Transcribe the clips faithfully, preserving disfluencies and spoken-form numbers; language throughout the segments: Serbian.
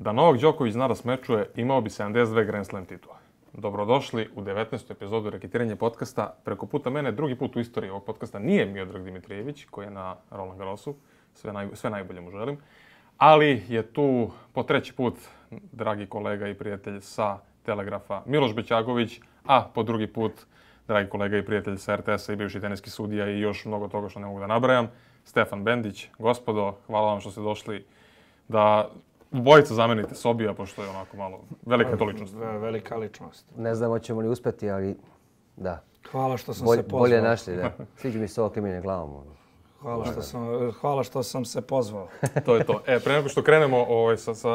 Da Novak Đoković zna da smečuje, imao bi sedamdeset dve Grand Slam titule. Dobrodošli u devetnaestu epizodu Reketiranje podcasta. Preko puta mene, drugi put u istoriji ovog podcasta nije Miodrag Dimitrijević, koji je na Roland Garrosu. Sve, naj, sve najbolje mu želim. Ali je tu po treći put dragi kolega i prijatelj sa Telegrafa Miloš Bećagović, a po drugi put dragi kolega i prijatelj sa R T S-a i bivši teniski sudija i još mnogo toga što ne mogu da nabrajam, Stefan Bendić. Gospodo, hvala vam što ste došli da bojica zamenite Sobija, pošto je onako malo velika to ličnost. Velika ličnost. Ne znam hoćemo li uspjeti, ali da. Hvala što sam Bolje, se pozvao. bolje našli, da. Sviđa mi se ovo klimine glavom. Hvala što sam, hvala što sam se pozvao. To je to. E, pre nego što krenemo ovaj, sa, sa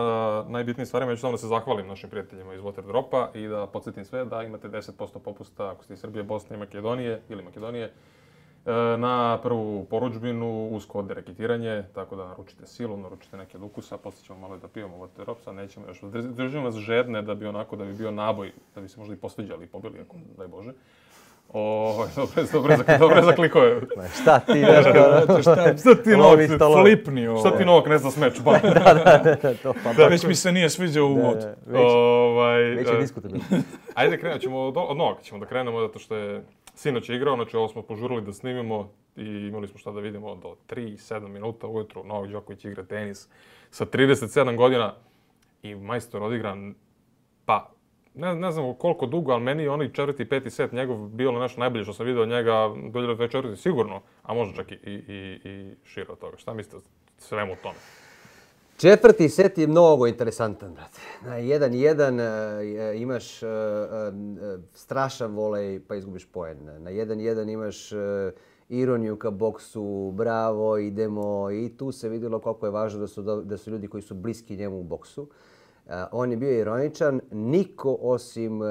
najbitnijim stvarima, ja ću samo da se zahvalim našim prijateljima iz Waterdropa i da podsjetim sve da imate deset posto popusta ako ste iz Srbije, Bosne i Makedonije ili Makedonije na prvu porudžbinu uz kod Reketiranje, tako da naručite silu, naručite neke od ukusa, poslije ćemo malo da pijemo Waterdrop, sad nećemo još. Držimo vas žedne da bi onako, da bi bio naboj, da bi se možda i posviđali i pobili, ako daj Bože. O, dobre, dobre, dobre zaklikove. Šta ti, znaš kao... šta, šta ti Novak, flipni ovo. Šta ti Novak ne zna smeč, ba? da, da, da, to pa da, već mi se nije sviđao uvod. Da, već, ovaj, već je diskutabilno. Ajde, krenut ćemo od, od Novaka, ćemo da krenemo, zato što je sinoć je igrao, znači ovo smo požurili da snimimo i imali smo šta da vidimo do tri sedam minuta ujutru. Novak Đoković igra tenis sa trideset sedam godina i majstor odigran, pa Ne, ne znam koliko dugo, ali meni je onaj četvrti, peti set njegov bilo nešto najbolje što sam vidio od njega do hiljadu devetsto četvrte sigurno, a možda čak i, i, i šire od toga. Šta mislite svemu tome? Četvrti set je mnogo interesantan, brate. Na jedan jedan uh, imaš uh, uh, strašan volej pa izgubiš poen. Na jedan jedan imaš uh, ironiju ka boksu, bravo, idemo. I tu se vidjelo koliko je važno da su, da su ljudi koji su bliski njemu u boksu. Uh, on je bio ironičan, niko osim uh,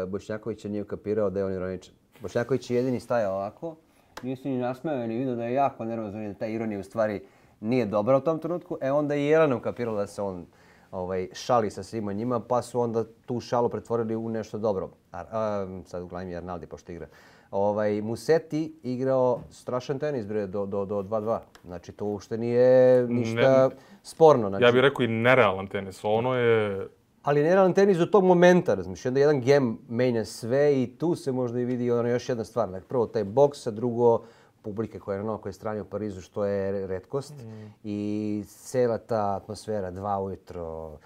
Bošnjakovića nije ukapirao da je on ironičan. Bošnjaković je jedini stajao ovako, nije se ni nasmeo ni vidio da je jako nervozan i da ta ironija u stvari nije dobra u tom trenutku. E onda je Jelena ukapirala da se on ovaj, šali sa svima njima, pa su onda tu šalu pretvorili u nešto dobro. A, a, sad uglavnom je Arnaldi pošto igra. Ovaj, Musetti igrao strašan tenis bre, do, do, do dva dva. Znači to uopšte nije ništa ne, sporno. Znači, ja bih rekao i nerealan tenis. Ono je... Ali nerealan tenis do tog momenta, razmiš. Onda jedan gem menja sve i tu se možda i vidi ono još jedna stvar. Dakle, prvo taj boks, a drugo publike koja je na novoj strani u Parizu, što je retkost. Mm. I cijela ta atmosfera, dva ujutro,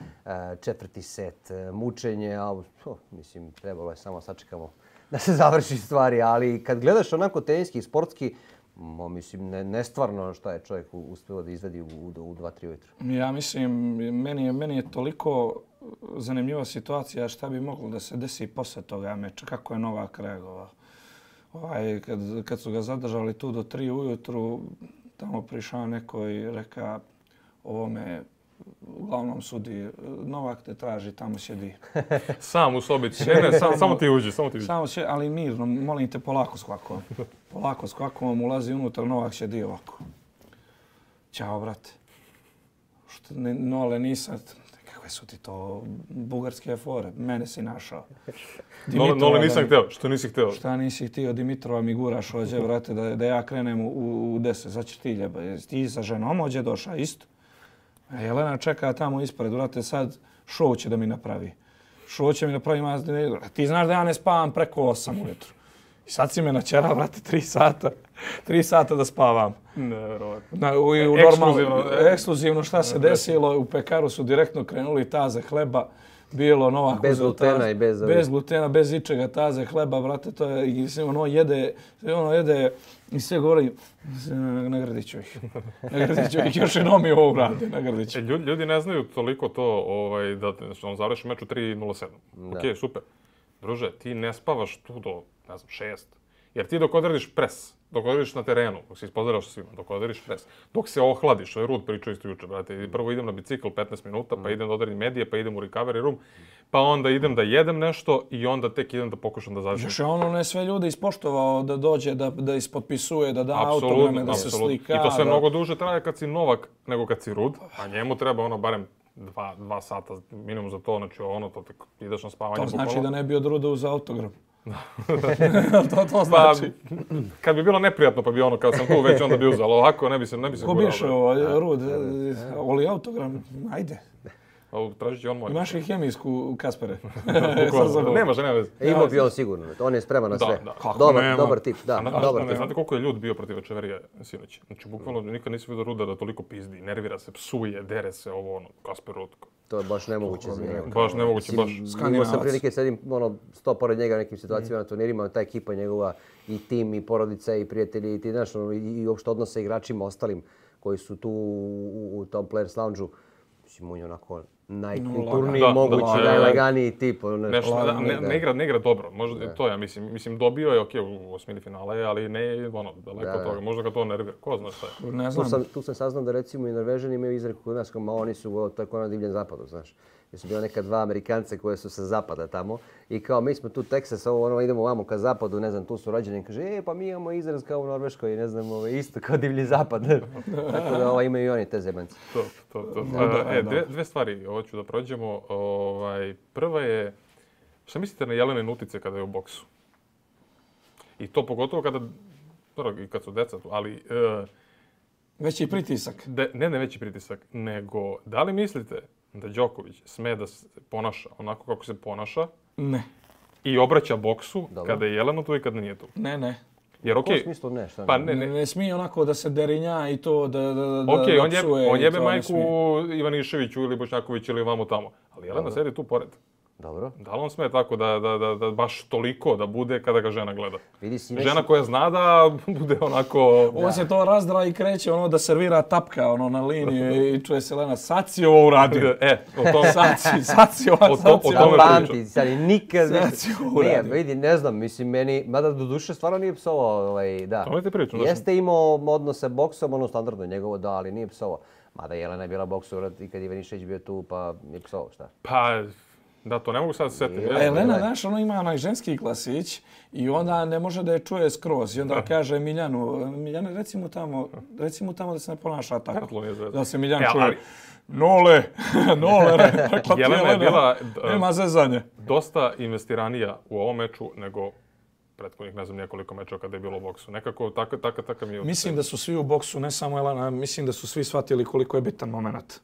četvrti set, mučenje, ali, oh, mislim, trebalo je samo sačekamo da se završi stvari, ali kad gledaš onako teniski i sportski, mo, mislim, ne, nestvarno šta je čovjek uspio da izvedi u, u, u dva tri ujutro. Ja mislim, meni je, meni je toliko zanimljiva situacija šta bi moglo da se desi posle toga meča, kako je Novak reagovao. Ovaj, kad, kad su ga zadržali tu do tri ujutru, tamo prišao neko i reka ovome uglavnom sudi, Novak te traži, tamo sjedi. Sam u sobici, ne, ne, sam, samo ti uđi, samo ti uđi. Samo sjedi, ali mirno, molim te, polako s kvakom. Polako s kvakom, ulazi unutra, Novak sjedi ovako. Ćao, brate. Što, ne, no, ale nisam, kakve su ti to bugarske fore, mene si našao. Nole, nole nisam htio, što nisi htio? Šta nisi htio, Dimitrova mi guraš ođe, brate, da, da ja krenem u, u deset, sad će ti ljeba. Ti sa ženom ođe došao, isto. A Jelena čeka tamo ispred, brate, sad show će da mi napravi. Show će mi napravi, ti znaš da ja ne spavam preko osam ujutru. I sad si me načera, brate, tri sata, tri sata da spavam. Nevjerovatno. U, u ekskluzivno, ekskluzivno šta se desilo, u pekaru su direktno krenuli taze hleba. Bilo Novak bez glutena i bez bez glutena, bez ičega, taze hleba, brate, to je i sve ono jede, sve ono jede i sve govori nagradit ću ih. Nagradit ću ih, još jednom mi ovo urade, nagradit ću. E, ljudi, ljudi ne znaju toliko to ovaj, da on završi meč u tri nula sedam. Okej, super. Druže, ti ne spavaš tu do, ne znam, šest. Jer ti dok odradiš pres, dok odradiš na terenu, dok se ispozdravaš sa svima, dok odradiš pres, dok se ohladiš, što je Rud pričao isto juče, brate, prvo idem na bicikl petnaest minuta, pa idem da odradim medije, pa idem u recovery room, pa onda idem da jedem nešto i onda tek idem da pokušam da završim. Još je ono ne sve ljude ispoštovao da dođe, da, da ispotpisuje, da da autograme, da se slika. I to sve da... mnogo duže traje kad si Novak nego kad si Rud, a njemu treba ono barem dva, dva sata minimum za to, znači ono, to tek ideš na spavanje. To znači bukvalno. Da ne bi od Ruda uz autogram. to, to znači. Pa, kad bi bilo neprijatno, pa bi ono, kad sam tu već onda bi uzelo ovako, ne bi se, ne bi se gurao. Ko biš ovo, Rud, voli autogram, ajde. tražit će on moj. Imaš i hemijsku Kaspere. Nema že, nema veze. E, imao bi on sigurno, on je spreman na Da, sve. da. Kako Dobar, nema? dobar tip, da, A na- dobar ne tip. znate koliko je ljud bio protiv Echeverrije sinoć? Znači, bukvalno nikad nisi vidio Ruda da toliko pizdi, nervira se, psuje, dere se, ovo ono, Kasper Ruud. To je baš nemoguće za njega. Baš nemoguće, baš. Imao sam Skandinavac. prilike sedim ono sto pored njega u nekim situacijama na turnirima, ta ekipa njegova i tim i porodica i prijatelji i ti znaš ono, i, i uopšte odnose igračima ostalim koji su tu u, u tom Players Lounge-u. Mislim, on je onako najkulturniji Da, mogući, da, da. najlaganiji tip. Ono, Nešto, da, lagani, ne, da. ne, igra, ne igra dobro, možda to ja mislim. Mislim, dobio je, okej, u osmini finala je, ali ne, ono, daleko Da, od da. toga. Možda ga to nervira, ko zna šta je. Ne Tu znam. sam, tu sam saznao da recimo i Norvežani imaju izreku kod nas, kao ma oni su, to je kao na divljem zapadu, znaš. Jer su bila neka dva Amerikance koje su sa zapada tamo i kao mi smo tu Texas, ovo ono idemo vamo ka zapadu, ne znam, tu su rođeni, kaže e pa mi imamo izraz kao u Norveškoj, ne znam, ovo, isto kao divlji zapad. Tako da ovo, imaju i oni te zebanci. To, to, to. Da, e, da. dve, dve stvari hoću da prođemo. Ovaj, prva je, šta mislite na Jelene utice kada je u boksu? I to pogotovo kada, prvo i kad su deca tu, ali e, Veći pritisak. de, ne ne veći pritisak, nego da li mislite da Đoković sme da se ponaša onako kako se ponaša Ne. i obraća boksu Dobro. kada je Jelena tu i kada nije tu? Ne, ne. Jer U kom okej, smislu ne, šta pa ne? ne, Ne, ne, ne smije onako da se derinja i to da, da, da, okej, da on, jebe, psuje on i jebe to ne majku smije. Ivaniševiću ili Bošnjakoviću ili vamo tamo, ali Jelena sedi tu pored. Dobro. Da li on sme tako da, da, da, da baš toliko da bude kada ga žena gleda? Vidi si neki- Žena koja zna da bude onako... On se to razdra i kreće ono da servira tapka ono na liniji i čuje se Lena, sad si ovo uradio. E, o tom... Sad si, sad si ovo, O to- sad si o ovo tome uradio. Pamti, sad i nikad Sad više. si ovo Nije, uradio. vidi, ne znam, mislim, meni, mada do duše stvarno nije psovao, ovaj, da. Tome ti pričam, da sam- Jeste imao odnos sa boksom, ono standardno njegovo, da, ali nije psovao. Mada Jelena je bila boksura i kad Ivanišević bio tu, pa je psovao, šta? Pa, da, to ne mogu sad se setiti. Je. A Jelena, Gledaj. znaš, ono ima onaj ženski glasić i onda ne može da je čuje skroz. I onda kaže Miljanu, Miljane, reci mu tamo, reci mu tamo da se ne ponaša tako. Kako nije zvezda? Da se Miljan E, čuje, ali- Nole, Nole, rekla ti Jelena je bila, d- nema zezanje. Dosta investiranija u ovom meču nego prethodnih, ne znam, nekoliko mečeva kada je bilo u boksu. Nekako taka, taka, taka mi je... Mislim da su svi u boksu, ne samo Jelena, mislim da su svi shvatili koliko je bitan moment.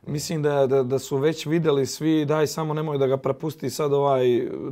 Mislim da, da, da su već vidjeli svi, daj samo nemoj da ga prepusti sad ovaj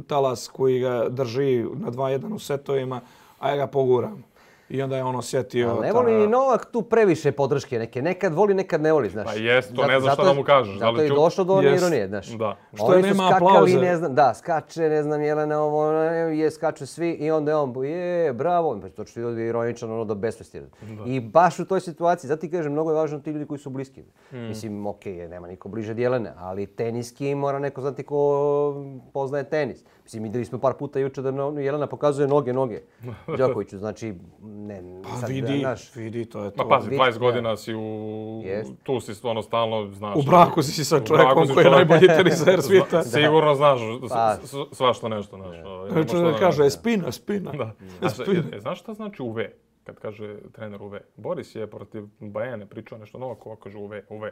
talas koji ga drži na dva jedan u setovima, a ja ga poguram. I onda je on osjetio... Ali ne ta- voli ni Novak tu previše podrške neke. Nekad voli, nekad ne voli, znaš. Pa jest, to Zato- ne znaš zato šta je- da mu kažeš. Da Zato li je ću- došlo do one Jest. ironije, znaš. Da. Što Oni su nema skakali, aplauze. ne znam, da, skače, ne znam, Jelena ovo, ono, je, skaču svi i onda je on, je, bravo, pa to što je ironičan, ono, do besvesti. I baš u toj situaciji, zato ti kažem, mnogo je važno ti ljudi koji su bliski. Mislim, okej, nema niko bliže od Jelene, ali teniski mora neko znati ko poznaje tenis. Mislim, vidjeli smo par puta juče da no- Jelena pokazuje noge, noge Đokoviću, znači, ne, Pa sad, vidi, znaš, vidi, to je Ma to. pazi, vidi, dvadeset da. godina si u... Jest. Tu si stvarno stalno, znaš... U braku si sa U braku čovjekom si koji je čovjek- najbolji teniser svijeta. Zna- Sigurno znaš s- Pa. s- svašta nešto, znaš. ovaj, nema šta Čovjek da- kaže, spina, spina. Da. A šta- e, znaš šta znači U V? Kad kaže trener U V. Boris je protiv Bajane pričao nešto novo, ko kaže U V, U V.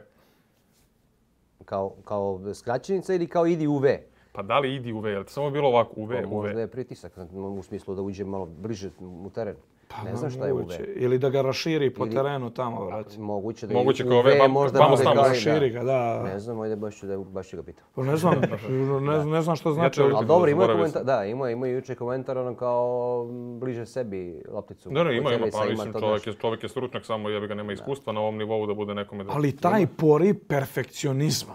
kao, kao skraćenica ili kao idi u V. Pa da li idi U V, je li samo bilo ovako U V, Pa U možda V? je pritisak u smislu da uđe malo bliže u teren. Pa Ne znam šta je U V. moguće. Ili da ga raširi po Ili- terenu tamo, brate. Moguće da Moguće je kao U V ove, vam- možda vamo bude tamo, kao i- raširi ga, da. Ne znam, ajde baš ću da baš ću ga pitam. Pa ne znam, ne, ne znam što znači. Ja ću- Ali da dobro, ima zaboravio komentar, sam. da, ima ima juče komentar ono kao m, bliže sebi lopticu. Ne, ne, ima, Kod ima, servisa pa mislim, to, čovjek znaš. je, čovjek je stručnjak, samo jebi ga nema iskustva na ovom nivou da bude nekome... Da... Ali taj pori perfekcionizma,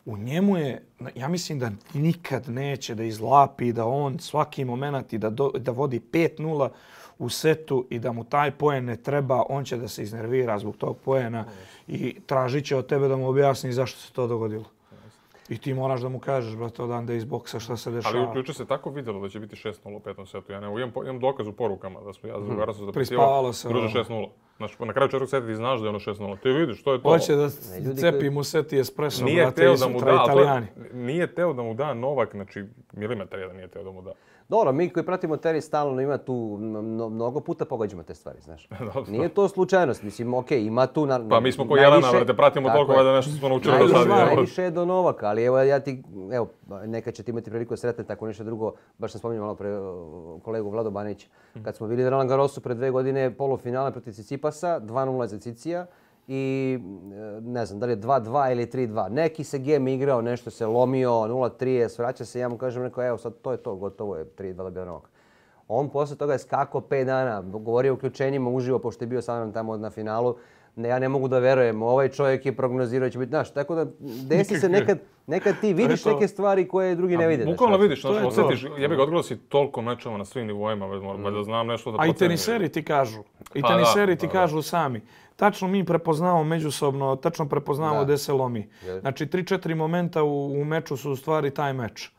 u njemu je, ja mislim da nikad neće da izlapi, da on svaki moment i da, do, da vodi pet nula u setu i da mu taj poen ne treba, on će da se iznervira zbog tog poena i tražit će od tebe da mu objasni zašto se to dogodilo. I ti moraš da mu kažeš, brate, odande iz boksa šta se dešava. Ali juče se tako vidjelo da će biti šest nula u petom setu. Ja ne, imam, po- imam dokaz u porukama da smo ja za drugara sam Prispavalo se, Druže ono. šest nula. Znači, na kraju četvrtog seta ti znaš da je ono šest nula. Ti vidiš, što je to. Hoće da Ne, ljudi cepi koji- mu seti espresso, Nije brate, teo i da mu sutra da, ali to- Italijani. nije teo da mu da Novak, znači milimetar jedan nije teo da mu da. Dobro, mi koji pratimo tenis stalno ima tu mno- mnogo puta pogađamo te stvari, znaš. Dobro. Nije to slučajnost, mislim, okej, ima tu na, Pa mi smo ko najviše- Jelena, brate, pratimo tako toliko je. da nešto smo naučili do Najviše, sad. evo. najviše je do Novaka, ali evo ja ti, evo, nekad ćete imati priliku da sretnete tako nešto drugo. Baš sam spominjao malo pre uh, kolegu Vlado Banića. Kad smo bili na Roland Garrosu pre dve godine polufinale protiv Cicipasa, dva nula za Cicija i ne znam da li je dva dva ili tri dva. Neki se game igrao, nešto se lomio, nula tri, svraća se, ja mu kažem, rekao, evo sad to je to, gotovo je, tri dva dobio novak. On posle toga je skakao pet dana, govorio o uključenjima uživo, pošto je bio sa mnom tamo na finalu. Ne, ja ne mogu da verujem, ovaj čovjek je prognozirao će biti naš. Tako da desi se nekad, nekad ti vidiš neke stvari koje drugi ne vide. Bukvalno vidiš, znaš, osjetiš, ja bih odgledao si toliko mečeva na svim nivoima, valjda znam nešto da procenim. A i teniseri ti kažu, i teniseri ti kažu sami. Tačno mi prepoznamo međusobno, tačno prepoznamo gdje se lomi. Znači, tri četiri momenta u, u meču su u stvari taj meč.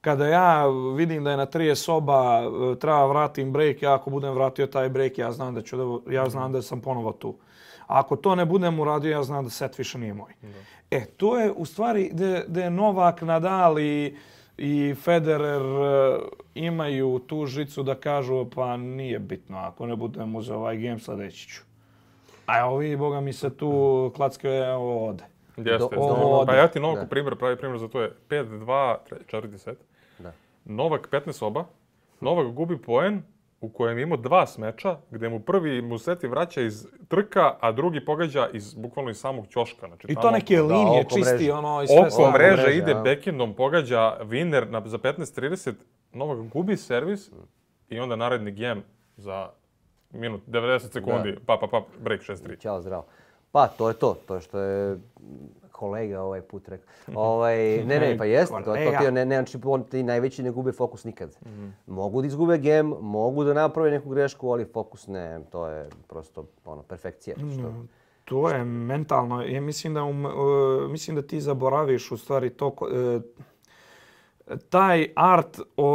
Kada ja vidim da je na trideset soba, treba vratim break, ja ako budem vratio taj break, ja znam da, ću da, ja znam da sam ponovo tu. A ako to ne budem uradio, ja znam da set više nije moj. Da. E, to je u stvari gdje je Novak, Nadal i, i Federer imaju tu žicu da kažu pa nije bitno, ako ne budem uzeo ovaj game, sljedeći ću. A ovi, boga mi se tu klackaju ovdje. Jeste, do, pa ja ti Novak primjer, pravi primjer za to je pet dva, četvrti set. Da. Novak petnaest soba, Novak gubi poen u kojem je imao dva smeča, gdje mu prvi mu seti vraća iz trka, a drugi pogađa iz, bukvalno iz samog ćoška. Znači, I to neke oko, linije da, čisti, mreže. ono... I sve oko mreže mreže, ide ja. Backendom, pogađa winner na, za petnaest trideset, Novak gubi servis i onda naredni game za minut, devedeset sekundi, da. pa, pa, pa, break šest tri. Ćao, zdravo. Pa, to je to, to što je kolega ovaj put rekao. Ovaj, ne, ne, pa jeste, to, to ti, ne, ne, znači, ti najveći ne gube fokus nikad. Mm-hmm. Mogu da izgube game, mogu da naprave neku grešku, ali fokus ne, to je prosto ono, perfekcija. Što... Mm, to je mentalno, ja mislim da, um, uh, mislim da ti zaboraviš u stvari to, uh, taj art uh,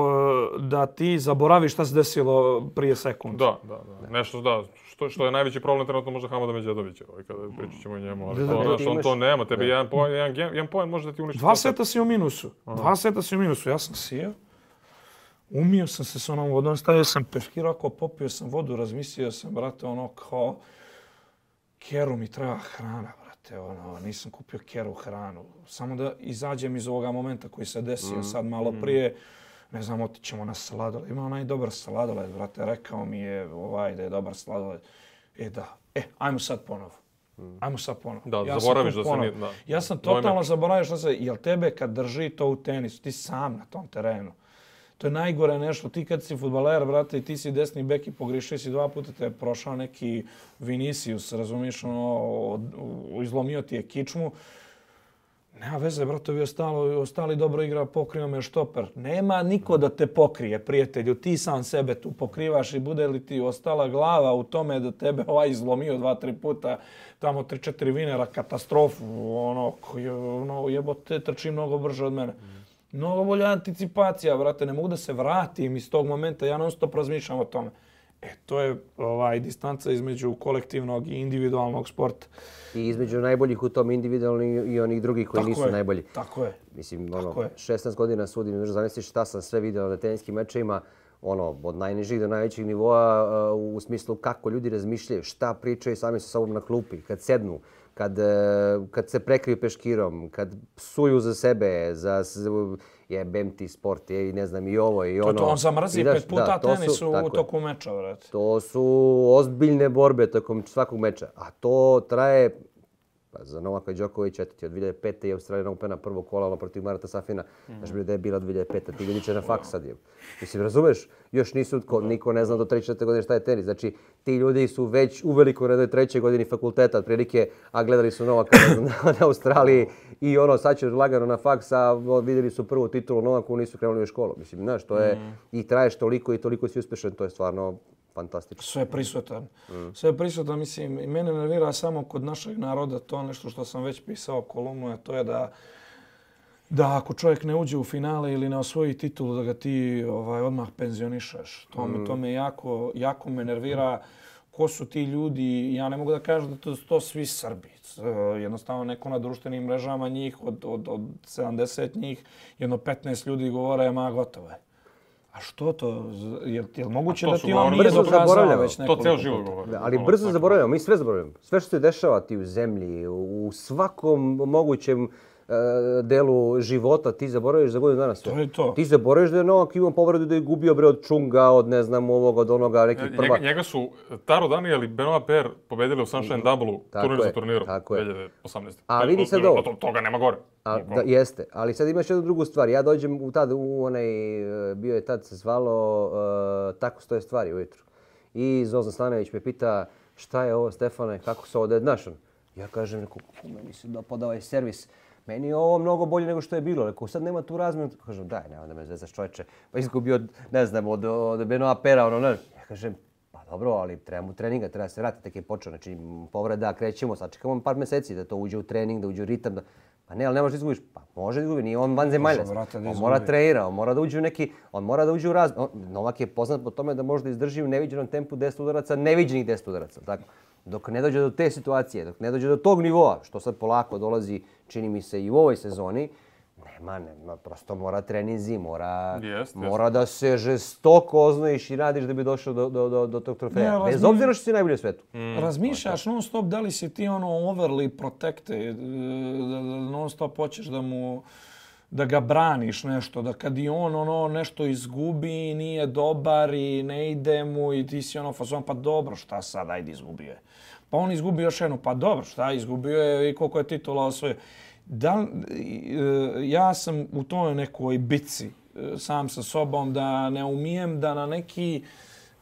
da ti zaboraviš šta se desilo prije sekund. Da, da, da. Nešto, da. Što, što je najveći problem trenutno možda Hamada Medjedovića, ovaj, kada pričat ćemo o njemu, ali to, znaš, on to nema, tebi da. jedan poen, jedan, jedan poen može da ti uništi. Dva seta si u minusu, Aha. dva seta si u minusu, ja sam sijao, umio sam se s onom vodom, stavio sam peškirako, popio sam vodu, razmislio sam, brate, ono kao, Keru mi treba hrana, brate, ono, nisam kupio Keru hranu, samo da izađem iz ovoga momenta koji se desio mm. sad malo prije, ne znam, otićemo na sladoled. Ima onaj dobar sladoled, brate. Rekao mi je ovaj da je dobar sladoled. E da, e, ajmo sad ponovo. Ajmo sad ponovo. Da, ja zaboraviš da se nije... Da. Ja sam totalno zaboravio što se... Jel tebe kad drži to u tenisu, ti sam na tom terenu. To je najgore nešto. Ti kad si fudbaler, brate, i ti si desni bek i pogrišio si dva puta, te je prošao neki Vinicius, razumiješ, ono, izlomio ti je kičmu. Nema veze, brate, vi ostali, ostali dobro igra, pokrio me štoper. Nema niko da te pokrije, prijatelju. Ti sam sebe tu pokrivaš i bude li ti ostala glava u tome da tebe ovaj izlomio dva, tri puta, tamo tri, četiri vinera, katastrofu, ono, ono jebote, trči mnogo brže od mene. Mnogo bolja anticipacija, brate, ne mogu da se vratim iz tog momenta, ja non stop razmišljam o tome. E, to je ovaj, distanca između kolektivnog i individualnog sporta. I između najboljih u tom individualni i onih drugih koji tako nisu je, najbolji. Tako je. Mislim, ono, šesnaest godina sudim, ne možeš zamisliš šta sam sve vidio na teniskim mečevima, ono, od najnižih do najvećih nivoa uh, u smislu kako ljudi razmišljaju, šta pričaju sami sa sobom na klupi, kad sednu, kad, uh, kad se prekriju peškirom, kad psuju za sebe, za... jebem ti sport, je, i ne znam, i ovo, i ono. To, to on zamrzi pet puta da, tenisu u toku meča, vrati. To su ozbiljne borbe tokom svakog meča, a to traje, pa za Novaka Đokovića, eto ti od dvije hiljade pete je Australijan Opena prvo kola protiv Marata Safina, znaš mm. da je bila od dvije hiljade pete, ti ljudi će na faks sad je. Mislim, razumeš, još nisu, ko, niko ne zna do treće četvrte godine šta je tenis. Znači, ti ljudi su već uveliko na trećoj godini fakulteta, otprilike, a gledali su Novaka na, na Australiji i ono, sad će lagano na faks, a vidjeli su prvu titulu Novaku, nisu krenuli u školu. Mislim, znaš, to je, mm. i traješ toliko i toliko si uspješan, to je stvarno fantastično. Sve je prisutan. Mm. Sve je prisutan, mislim, i mene nervira samo kod našeg naroda to nešto što sam već pisao kolumnu, a to je da da ako čovjek ne uđe u finale ili ne osvoji titulu, da ga ti ovaj, odmah penzionišeš. To, mm. me, to me jako, jako me nervira. Ko su ti ljudi? Ja ne mogu da kažem da to su to svi Srbi. Jednostavno neko na društvenim mrežama njih, od, od, od sedamdeset njih, jedno petnaest ljudi govore, ma gotovo je. A što to? Je li moguće da ti on nije dokazao već nekoliko? To ceo život govori. Ali brzo zaboravljamo, mi sve zaboravljamo. Sve što se dešava ti u zemlji, u svakom mogućem delu života, ti zaboraviš za godinu dana sve. To je to. Ti zaboraviš da je Novak imao povredu da je gubio bre od Čunga, od ne znam ovoga, od onoga, nekih prva. Njega, njega su Taro Daniel i Benoit Paire pobedili u Sunshine Double-u, turnir za turnirom, tako je. dvije hiljade osamnaeste. A vidi sad ovo. To, toga nema gore. A, da, jeste, ali sad imaš jednu drugu stvar. Ja dođem u tad, u onaj, bio je tad se zvalo uh, Tako stoje stvari ujutru. I Zozan Stanojević me pita šta je ovo Stefane, kako se ovo dednaš? Ja kažem, rekao, meni se dopada ovaj servis. Meni je ovo mnogo bolje nego što je bilo. Rekao, sad nema tu razmjenu. Kažem, daj, nema da me zezaš čovječe. Pa izgubio, ne znam, od, od Benoit Paire, ono, ne. Ja kažem, pa dobro, ali treba mu treninga, treba se vratiti, tek je počeo. Znači, povreda, krećemo, sačekamo par mjeseci da to uđe u trening, da uđe u ritam. Da... Pa ne, ali ne možeš da izgubiš. Pa može da izgubi, nije on vanzemaljac. On mora trenira, on mora da uđe u neki, on mora da uđe u raz... On, Novak je poznat po tome da može da izdrži u neviđenom tempu deset udaraca, neviđenih deset udaraca. Tako. Dok ne dođe do te situacije, dok ne dođe do tog nivoa, što sad polako dolazi, čini mi se i u ovoj sezoni, nema, nema, prosto mora treninzi, mora, jest, mora jest. da se žestoko oznojiš i radiš da bi došao do, do, do, do tog trofeja. Ne, Bez obzira što si najbolji u svetu. Mm. Razmišljaš non stop da li si ti ono overly protected, da non stop hoćeš da mu da ga braniš nešto, da kad i on ono nešto izgubi, nije dobar i ne ide mu i ti si ono fazon, pa dobro, šta sad, ajde izgubio je. Pa on izgubio još jednu, pa dobro, šta, izgubio je i koliko je titula osvojio. Da, ja sam u toj nekoj bitci sam sa sobom da ne umijem da na neki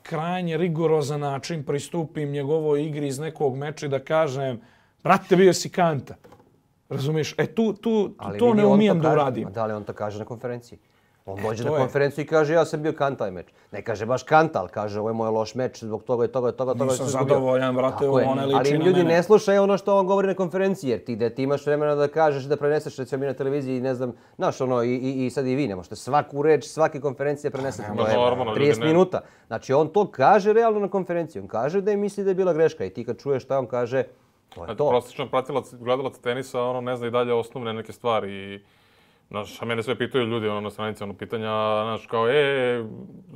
krajnje rigorozan način pristupim njegovoj igri iz nekog meča i da kažem, brate, bio si kanta. Razumiješ? E tu, tu, Ali to vidi, ne on umijem to da kaže, uradim. Da li on to kaže na konferenciji? On dođe to na je. konferenciju i kaže ja sam bio kanta taj meč. Ne kaže baš kanta, ali kaže ovo je moj loš meč zbog toga i toga i toga. toga Nisam zadovoljan, brate, on ne liči ali na ljudi mene. ne slušaju ono što on govori na konferenciji, jer ti, da ti imaš vremena da kažeš da preneseš recimo mi na televiziji, ne znam, znaš ono, i, i, i sad i vi ne možete svaku reč, svake konferencije prenesete. Pa, to je normalno, trideset ljudi ne- minuta. Znači on to kaže realno na konferenciji. On kaže da je misli da je bila greška i ti kad čuješ šta on kaže, to je to. Prosječan pratilac, gledalac tenisa, ono ne zna i dalje osnovne neke stvari i znaš, a mene sve pitaju ljudi ono, na stranici ono, pitanja, znaš, kao, e,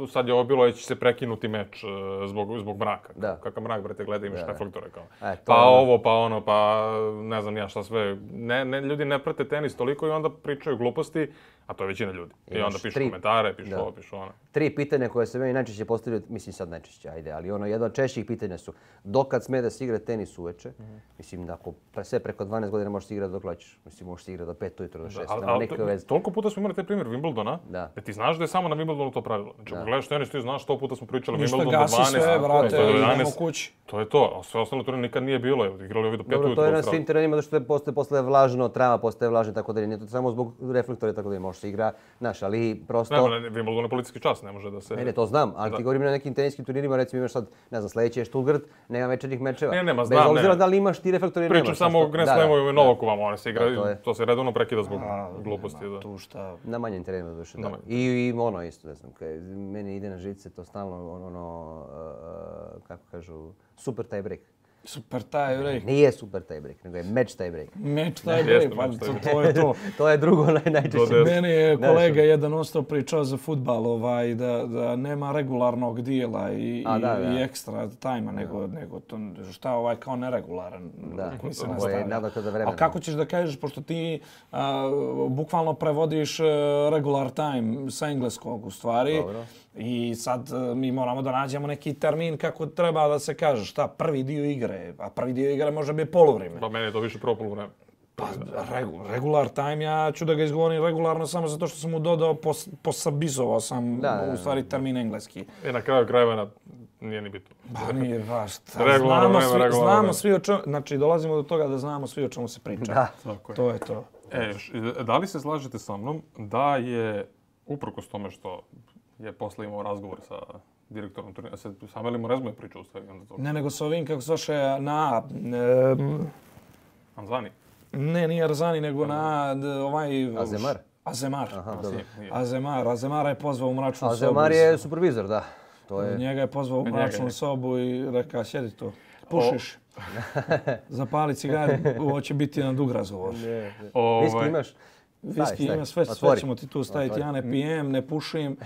sad je ovo bilo, je će se prekinuti meč e, zbog, zbog mraka. Da. Kakav mrak, brate, gleda, imaš Da, da. reflektore, kao. E, to pa je ono. ovo, pa ono, pa ne znam ja šta sve. Ne, ne, ljudi ne prate tenis toliko i onda pričaju gluposti, a to je većina ljudi. I Imaš onda pišu tri- komentare, pišu Da. ovo, pišu ono. Tri pitanja koje se meni najčešće postavljaju, mislim sad najčešće, ajde, ali ono jedno od češćih pitanja su dokad sme da se igra tenis uveče? Mislim da ako pre, sve preko dvanaest godina možeš se igrati dok hoćeš. Mislim možeš se igrati do pet ujutro, do šest, Ali, nema ali nikakve to- veze. toliko puta smo imali taj primjer Wimbledona, Da. da ti znaš da je samo na Wimbledonu to pravilo. Znači, ako gledaš tenis, ti znaš sto puta smo pričali Ništa, Wimbledon do gasi dvanaest, sve, brate, do jedanaest. idemo kući. To je to, a sve ostalo turnir nikad nije bilo. Evo, igrali ovi do pet Dobro, ujutro. to je u na Australiji. svim terenima zato što je postaje posle vlažno, trava postaje vlažna, tako da nije to samo zbog reflektora, tako da ne može se igra, znaš, ali prosto... Ne, ne, Wimbledon je policijski čas, ne može da se... Ne, ne, to znam, ali ti govorim na nekim teniskim turnirima, recimo imaš sad, ne znam, sljedeći je Stuttgart, nema večernjih mečeva. Ne, nema, Bez znam, obzira ne. da li imaš ti reflektor ili nemaš. Pričam samo o znaš, Grand da, da, Slamu i da. Novakovama, one se igra, Da, to to, je. to se redovno prekida zbog gluposti. Da. Tu šta... Na manjem terenu duše, da. Na manjem. I, I ono isto, ne znam, kaj, meni ide na žice to stalno, ono, ono uh, kako kažu, super tie break. Super taj break. Nije super tie break, nego je match tie break. Meč taj Jeste, break, pa meč tie to, break. to je to. To je drugo naj, najčešće. To Meni je Znaš, kolega jedan ostao pričao za fudbal, ovaj, da, da nema regularnog dijela i, A, i, da, da. i ekstra tajma, nego, nego to, šta ovaj kao neregularan Da, koji se ovo je nastavlja. nadoknada vremena. Ali kako ćeš da kažeš, pošto ti a, bukvalno prevodiš e, regular time sa engleskog u stvari, Dobro. i sad e, mi moramo da nađemo neki termin kako treba da se kaže, šta, prvi dio igre, a prvi dio igre može biti poluvreme. Pa meni je to više prvo poluvreme. Pa, regu, regular time, ja ću da ga izgovorim regularno samo zato što sam mu dodao, pos, posabizovao sam Da, da, u stvari termin engleski. I na kraju krajeva na, nije ni bitno. Pa nije baš. šta, Regularno Znamo, vreme, svi, regularno znamo vreme. svi o čemu, znači dolazimo do toga da znamo svi o čemu se priča. Da. Tako je. To je to. E, još, da li se slažete sa mnom da je, uprkos tome što je posle imao razgovor sa direktorom turnira, se sam Eli Morezmo je pričao u stvari onda to. Ne, nego sa ovim, kako se vaše, na... E, Anzani. ne, nije Arzani, nego na d, ovaj... Azemar? Azemar. Aha, A, dobro. nije, nije. Azemar. Azemara je pozvao u mračnu sobu. Azemar je supervizor, da. To je... Njega je pozvao u Njega, mračnu njega. sobu i rekao, sjedi tu, pušiš. Zapali cigar, ovo će biti jedan dug razgovor. Ovaj, Viski imaš? Viski Stavi, ima, stavi. sve, sve Otvori. ćemo ti tu staviti. Otvori. Ja ne pijem, ne pušim.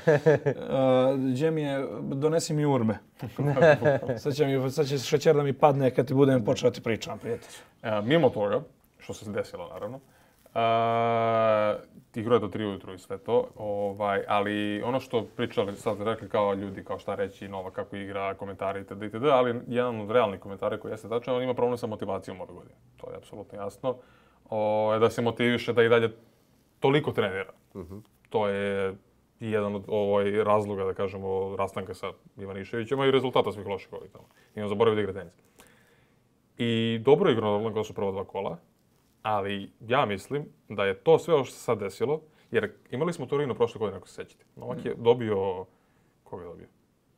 Gdje mi je, donesi mi urme. sad, će mi, sad će šećer da mi padne kad ti budem počeo ti pričam, prijatelj. E, mimo toga, što se desilo naravno, Igrao je do tri ujutru i sve to, ovaj, ali ono što pričali, sad rekli kao ljudi, kao šta reći, Nova kako igra, komentari itd. itd. Ali jedan od realnih komentara koji jeste tačan, on ima problem sa motivacijom ove godine. To je apsolutno jasno. O, da se motiviše da i dalje toliko trenira. Uh-huh. To je jedan od ovaj, razloga, da kažemo, rastanka sa Ivaniševićem, a i rezultata svih loših ovih tamo. I on zaboravio da igra tenis. I dobro je igrao na Roland Garrosu prva dva kola, ali ja mislim da je to sve ovo što se sad desilo, jer imali smo Torino prošle godine, ako se sećate. Novak je dobio, koga je dobio?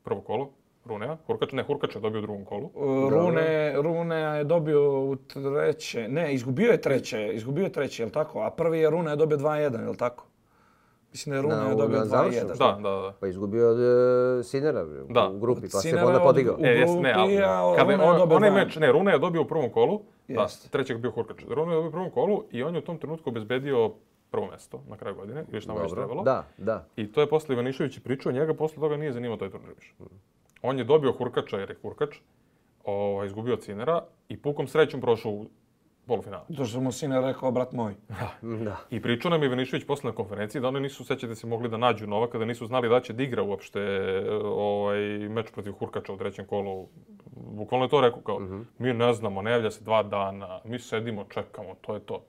Prvo kolo, Runea, Hurkač, ne, Hurkač je dobio u drugom kolu. Rune, Runea je dobio u treće, ne, izgubio je treće, izgubio je treće, je li tako? A prvi je Runea dobio dva jedan, je li tako? Mislim da je Runea je dobio dva jedan. Da, da, da. Pa izgubio od uh, Sinera da. u grupi, pa se onda podigao. U grupi, ne, ali, a kada Runea je dobio onaj meč, ne, Runea je dobio u prvom kolu, da, trećeg bio Hurkač. Runea je dobio u prvom kolu i on je u tom trenutku obezbedio prvo mesto na kraju godine, još tamo već trebalo. Da, da. I to je posle Ivanišević pričao, njega posle toga nije zanimao taj turnir više. On je dobio Hurkača jer je Hurkač, o, izgubio Cinera i pukom srećom prošao u polufinale. To što mu Siner rekao, brat moj. Da. I pričao nam Ivanišević posle na konferenciji da oni nisu, sećate se, mogli da nađu Novaka, da nisu znali da će da igra uopšte ovaj, meč protiv Hurkača u trećem kolu. Bukvalno je to rekao kao, uh-huh. mi ne znamo, ne javlja se dva dana, mi sedimo, čekamo, to je to.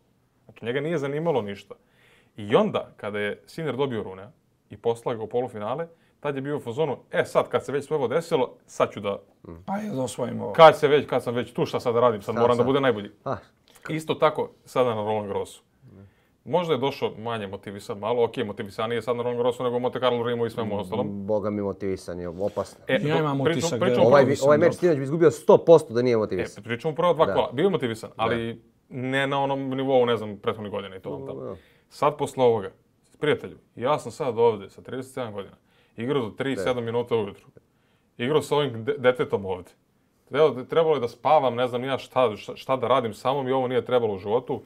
Znači njega nije zanimalo ništa. I onda, kada je Sinner dobio Runea i poslao ga u polufinale, tad je bio u fazonu, e sad kad se već sve ovo desilo, sad ću da... Pa je da osvojim ovo. Kad, se već, kad sam već tu, šta sad da radim, sad, sad moram sad. da bude najbolji. Ah. Isto tako sada na Roland Garrosu. Možda je došao manje motivisan, malo, ok, motivisanije sad na Roland Garrosu nego Monte Carlo, Rimu i svemu ostalom. Boga mi motivisan je, opasno. E, ja imam utisak da ovaj, ovaj meč sinoć bi izgubio sto posto da nije motivisan. E, pričamo prvo dva da. kola, bio je motivisan, ali da. ne na onom nivou, ne znam, prethodnih godina i to vam tamo. Sad posle ovoga, prijatelju, ja sam sad ovde sa trideset sedam godina, igrao do tri sedam minuta ujutru. Igrao sa ovim de- detetom ovde. Trebalo je da spavam, ne znam ja šta, šta, šta da radim, samo mi ovo nije trebalo u životu.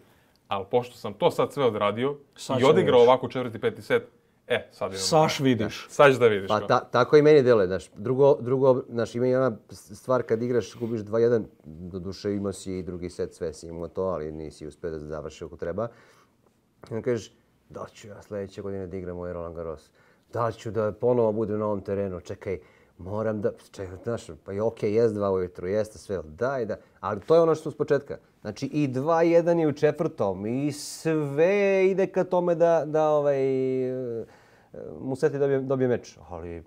Ali pošto sam to sad sve odradio sad i odigrao ovako četvrti, peti set, e, sad idemo. Saš vidiš. Sad da vidiš. Pa ta, tako i meni deluje, znaš. Drugo, drugo, znaš, ima jedna stvar kad igraš, gubiš dva jedan, doduše imao si i drugi set, sve si imao to, ali nisi uspio da završi ako treba. I kažeš, da ću ja sljedeće godine da igram ovaj Roland Garros. Da ću da ponovo budem na ovom terenu, čekaj, moram da, čekaj, znaš, pa je okej, okay, jest dva ujutru, jeste sve, daj da, ali to je ono što s početka. Znači i dva jedan je u četvrtom i sve ide ka tome da, da ovaj, Musetti dobije, dobije meč, ali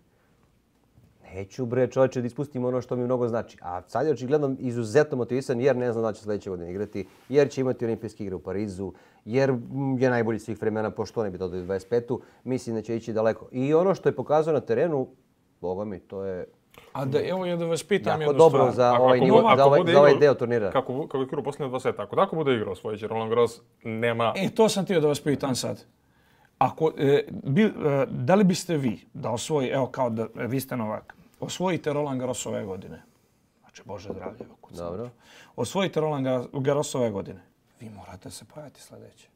neću bre čovječe da ispustim ono što mi mnogo znači. A sad je očigledno izuzetno motivisan jer ne znam da će sljedeće godine igrati, jer će imati olimpijske igre u Parizu, jer je najbolji svih vremena, pošto ne bi to do dvadeset petu. Mislim da će ići daleko. I ono što je pokazao na terenu, boga mi, to je a da, evo ja da vas pitam jako jednu dobro stvar. za ovaj, nivo, za ovaj, za ovaj deo turnira. Kako, kako je igrao posljednje dva seta, ako tako bude igrao svoj će Roland Garros, nema... E, to sam htio da vas pitam sad. Ako, e, bi, e, da li biste vi da osvoji, evo kao da vi ste Novak, osvojite Roland Garros ove godine, znači Bože zdravlje, dobro. Osvojite Roland Garros ove godine, vi morate se pojaviti sljedeće,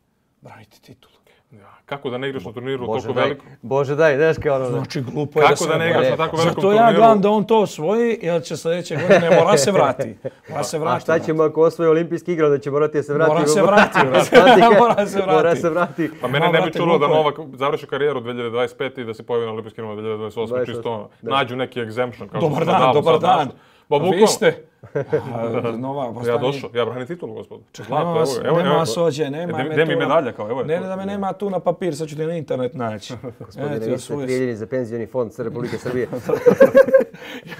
braniti titulu. Ja, kako da ne igraš na turniru Bože toliko daj, veliko? Bože daj, znaš kao ono... Znači, glupo je da se... Kako da ne igraš na tako velikom turniru? Zato ja gledam da on to osvoji, jer će sljedeće godine mora se vrati. Mora se vrati. A šta ćemo ako osvoji olimpijski igra, da će morati da se vrati? Mora se vrati. Mora se vrati. Mora se vrati. Pa mene ne bi čulo da Novak završi karijeru dve hiljade dvadeset pete i da se pojavi na olimpijskim igrama dve hiljade dvadeset osme. Čisto ono, nađu neki exemption. Kao dobar dan, dobar dan. Pa vi ste... Nova, postani... Ja došao, ja branim titulu, gospod. Nema vas, evo, nema vas ođe, nema me tu. Gdje mi medalja kao, evo je. Ne, ne da me nema tu na papir, sad ću ti na internet naći. Gospodine, vi ste prijavljeni za penzioni fond Republike Srbije.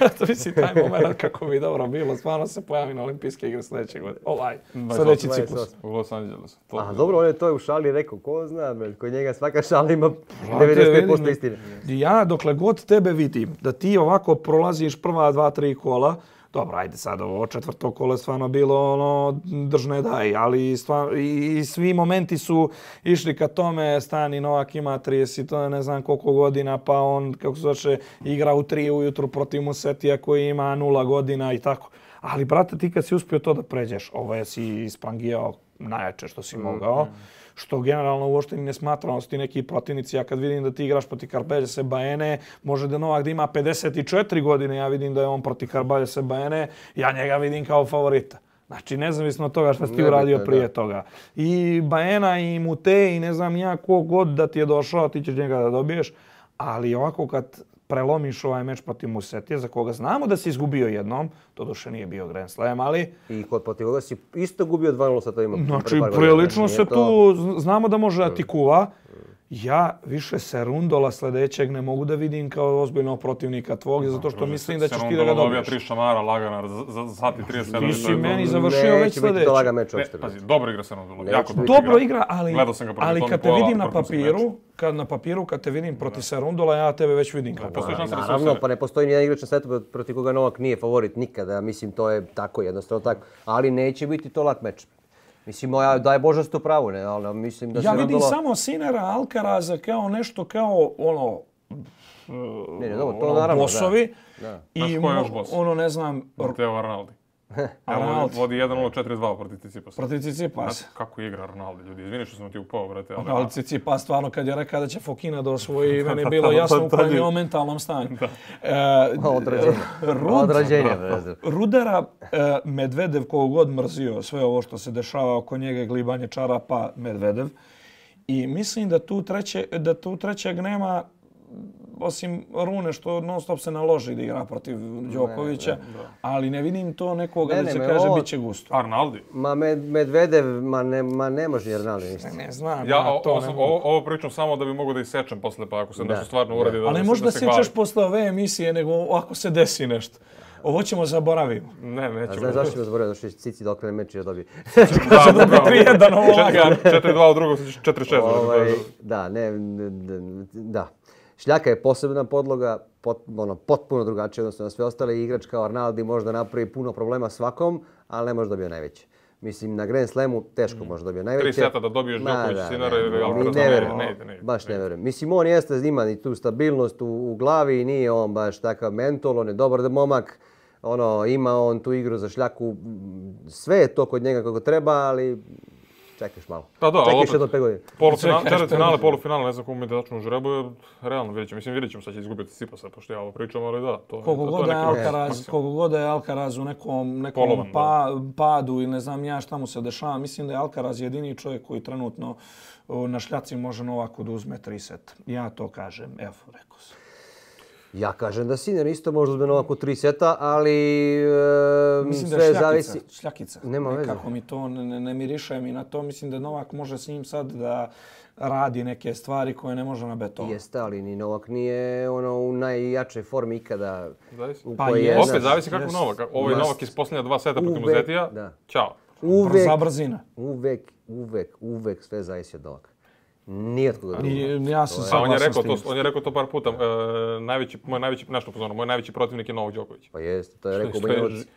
Ja to mislim taj moment kako bi dobro bilo, stvarno se pojavi na olimpijske igre sljedeće godine. Ovaj, sljedeći ciklus. U Los Angelesu. A dobro, on je to u šali rekao, ko zna, kod njega svaka šala ima devedeset pet posto istine. Ja dokle god tebe vidim da ti ovako prolaziš prva dva, tri kola, dobro, ajde sad, ovo četvrto kolo je stvarno bilo ono, držne daj, ali stvarno, i, i svi momenti su išli ka tome, Stani Novak ima trideset, ne znam koliko godina, pa on, kako se zove, igra u tri ujutru protiv Musettija koji ima nula godina i tako. Ali, brate, ti kad si uspio to da pređeš, ovo je si isprangijao najjače što si mogao, mm, mm. što generalno uopšte ne smatram da su ti neki protivnici. Ja kad vidim da ti igraš protiv Carbalese Baene, može da Novak da ima pedeset četiri godine, ja vidim da je on protiv Carbalese Baene, ja njega vidim kao favorita. Znači, nezavisno od toga što si ti Nebitno, uradio da. prije toga. I Baena i Mute i ne znam ja ko god da ti je došao, ti ćeš njega da dobiješ. Ali ovako kad prelomiš ovaj meč protiv Musetija, za koga znamo da si izgubio jednom, to duše nije bio Grand Slam, ali... I kod protiv koga si isto gubio dva nula sa to ima. Znači, prilično se tu, znamo da može da ti kuva. Ja više Serundola sljedećeg ne mogu da vidim kao ozbiljnog protivnika tvog, zato što mislim da ćeš ti da ga dobiješ. tri šamara lagana za, za sat i trideset sedam. Ti si meni završio već Neće biti sljedeći. to lagan meč Ne, uopšte. pazi, dobro igra Serundola. Neće Jako biti. Dobro igra, ali, Gledao sam ga protiv ali Toni kad te Pola, vidim na vrhunski papiru, meč. kad na papiru, kad te vidim protiv Serundola, ja tebe već vidim kao Postoji šansa da se Naravno, osvoje. pa ne postoji nijedan igrač na svetu protiv koga Novak nije favorit nikada. Mislim, to je tako, jednostavno tako. Ali neće biti to lak meč. Mislim, ja daj Bože stu pravu, ne, ali mislim da Ja se vidim Serundola- samo Sinera Alcaraza kao nešto kao ono... Ne, ne, dobro, to ono, naravno, bosovi. da. I Znaš ko je još mo- bos? ono, ne znam, Mateo Arnaldi. Evo, Arnaldi. vodi jedan nula četiri dva protiv Tsitsipasa. protiv Tsitsipas. Znate kako igra Arnaldi, ljudi. Izvini što sam ti upao, brate. Ali, Ali Tsitsipas stvarno kad je rekao da će Fokina da osvoji, meni je bilo jasno u kojem je on mentalnom stanju. E, Od rođenja. Rud- Od rođenja, brate. Rudara, e, Medvedev kogo god mrzio sve ovo što se dešava oko njega, glibanje čarapa, Medvedev. I mislim da tu, treće, da tu trećeg nema, osim Rune što non stop se naloži da igra protiv Đokovića, ali ne vidim to nekoga Ne, da ne, se me kaže ovo- bit će gusto. Arnaldi. Ma Med- Medvedev, ma ne, ma ne može Arnaldi ništa. Ne znam, Ja ja, o- to ovo, ne sam- mogu. ovo, ovo pričam samo da bi mogo da isečem posle, pa ako se Da, nešto stvarno da. uradi da, Ali da, možda se, se da se hvali. sjećaš posle ove emisije, nego ako se desi nešto. Ovo ćemo zaboraviti. Ne, A nećemo. znaš zašto ću zaboraviti? Zato što će Cici da okrene meč i da dobije. Da, upravo. tri jedan ovo lagano. četiri dva u drugom, četiri šest. Ovaj, da, ne, ne, ne, da. Šljaka je posebna podloga, pot, ono, potpuno drugačija odnosno na sve ostale. Igrač kao Arnaldi može da napravi puno problema svakom, ali ne može da dobije najveće. Mislim, na Grand Slamu teško može da dobije najveće. Tri seta da dobiješ Ma, Đoković, da, Sinara ne, ili ne, Alcaraz. ne Ne, verujem. ne ide, ne ide. Baš ne verujem. Mislim, on jeste, ima i tu stabilnost u, u glavi i nije on baš takav mental, on je dobar momak. Ono, ima on tu igru za Šljaku, sve je to kod njega kako treba, ali čekaš malo. Pa da, ali Čekaš opet- jedno pet godina. Polufinale, Čekaj, četvrtfinale, polufinale, ne znam komu mi da tačno u žrebu, je realno vidjet ćemo. Mislim, vidjet ćemo šta će izgubiti Tsitsipasa, pošto ja ovo pričam, ali da, to, Koliko to, to god je je neki Alcaraz, maksimum. koliko god je Alcaraz u nekom, nekom Polovan, pa, padu ili ne znam ja šta mu se dešava, mislim da je Alcaraz jedini čovjek koji trenutno o, na šljaci može Novaku da uzme tri seta. Ja to kažem, evo, rekao sam. Ja kažem da Sinner isto može uzme Novak u tri seta, ali e, Mislim da sve je šljakica, zavisi. šljakica. Nema veze. Nekako mi to ne, ne, ne miriše mi na to. Mislim da Novak može s njim sad da radi neke stvari koje ne može na betonu. Jeste, ali ni Novak nije ono u najjačoj formi ikada. Zavisi. u Pa kojoj je, jest. znaš, Opet zavisi kako jest. Novak. Ovo je Jest. Novak iz posljednja dva seta protiv Uvek, Muzetija. da. Ćao. Uvek, Brza brzina. uvek, uvek, uvek sve zavisi od Novaka. Nije od koga I, drugog. ja sam A on je saglasan rekao s to, tim. on je rekao to par puta. E, najveći, moj najveći, nešto pozorno, moj najveći protivnik je Novak Đoković. Pa jeste, to je rekao Što je Banja ži- Luka.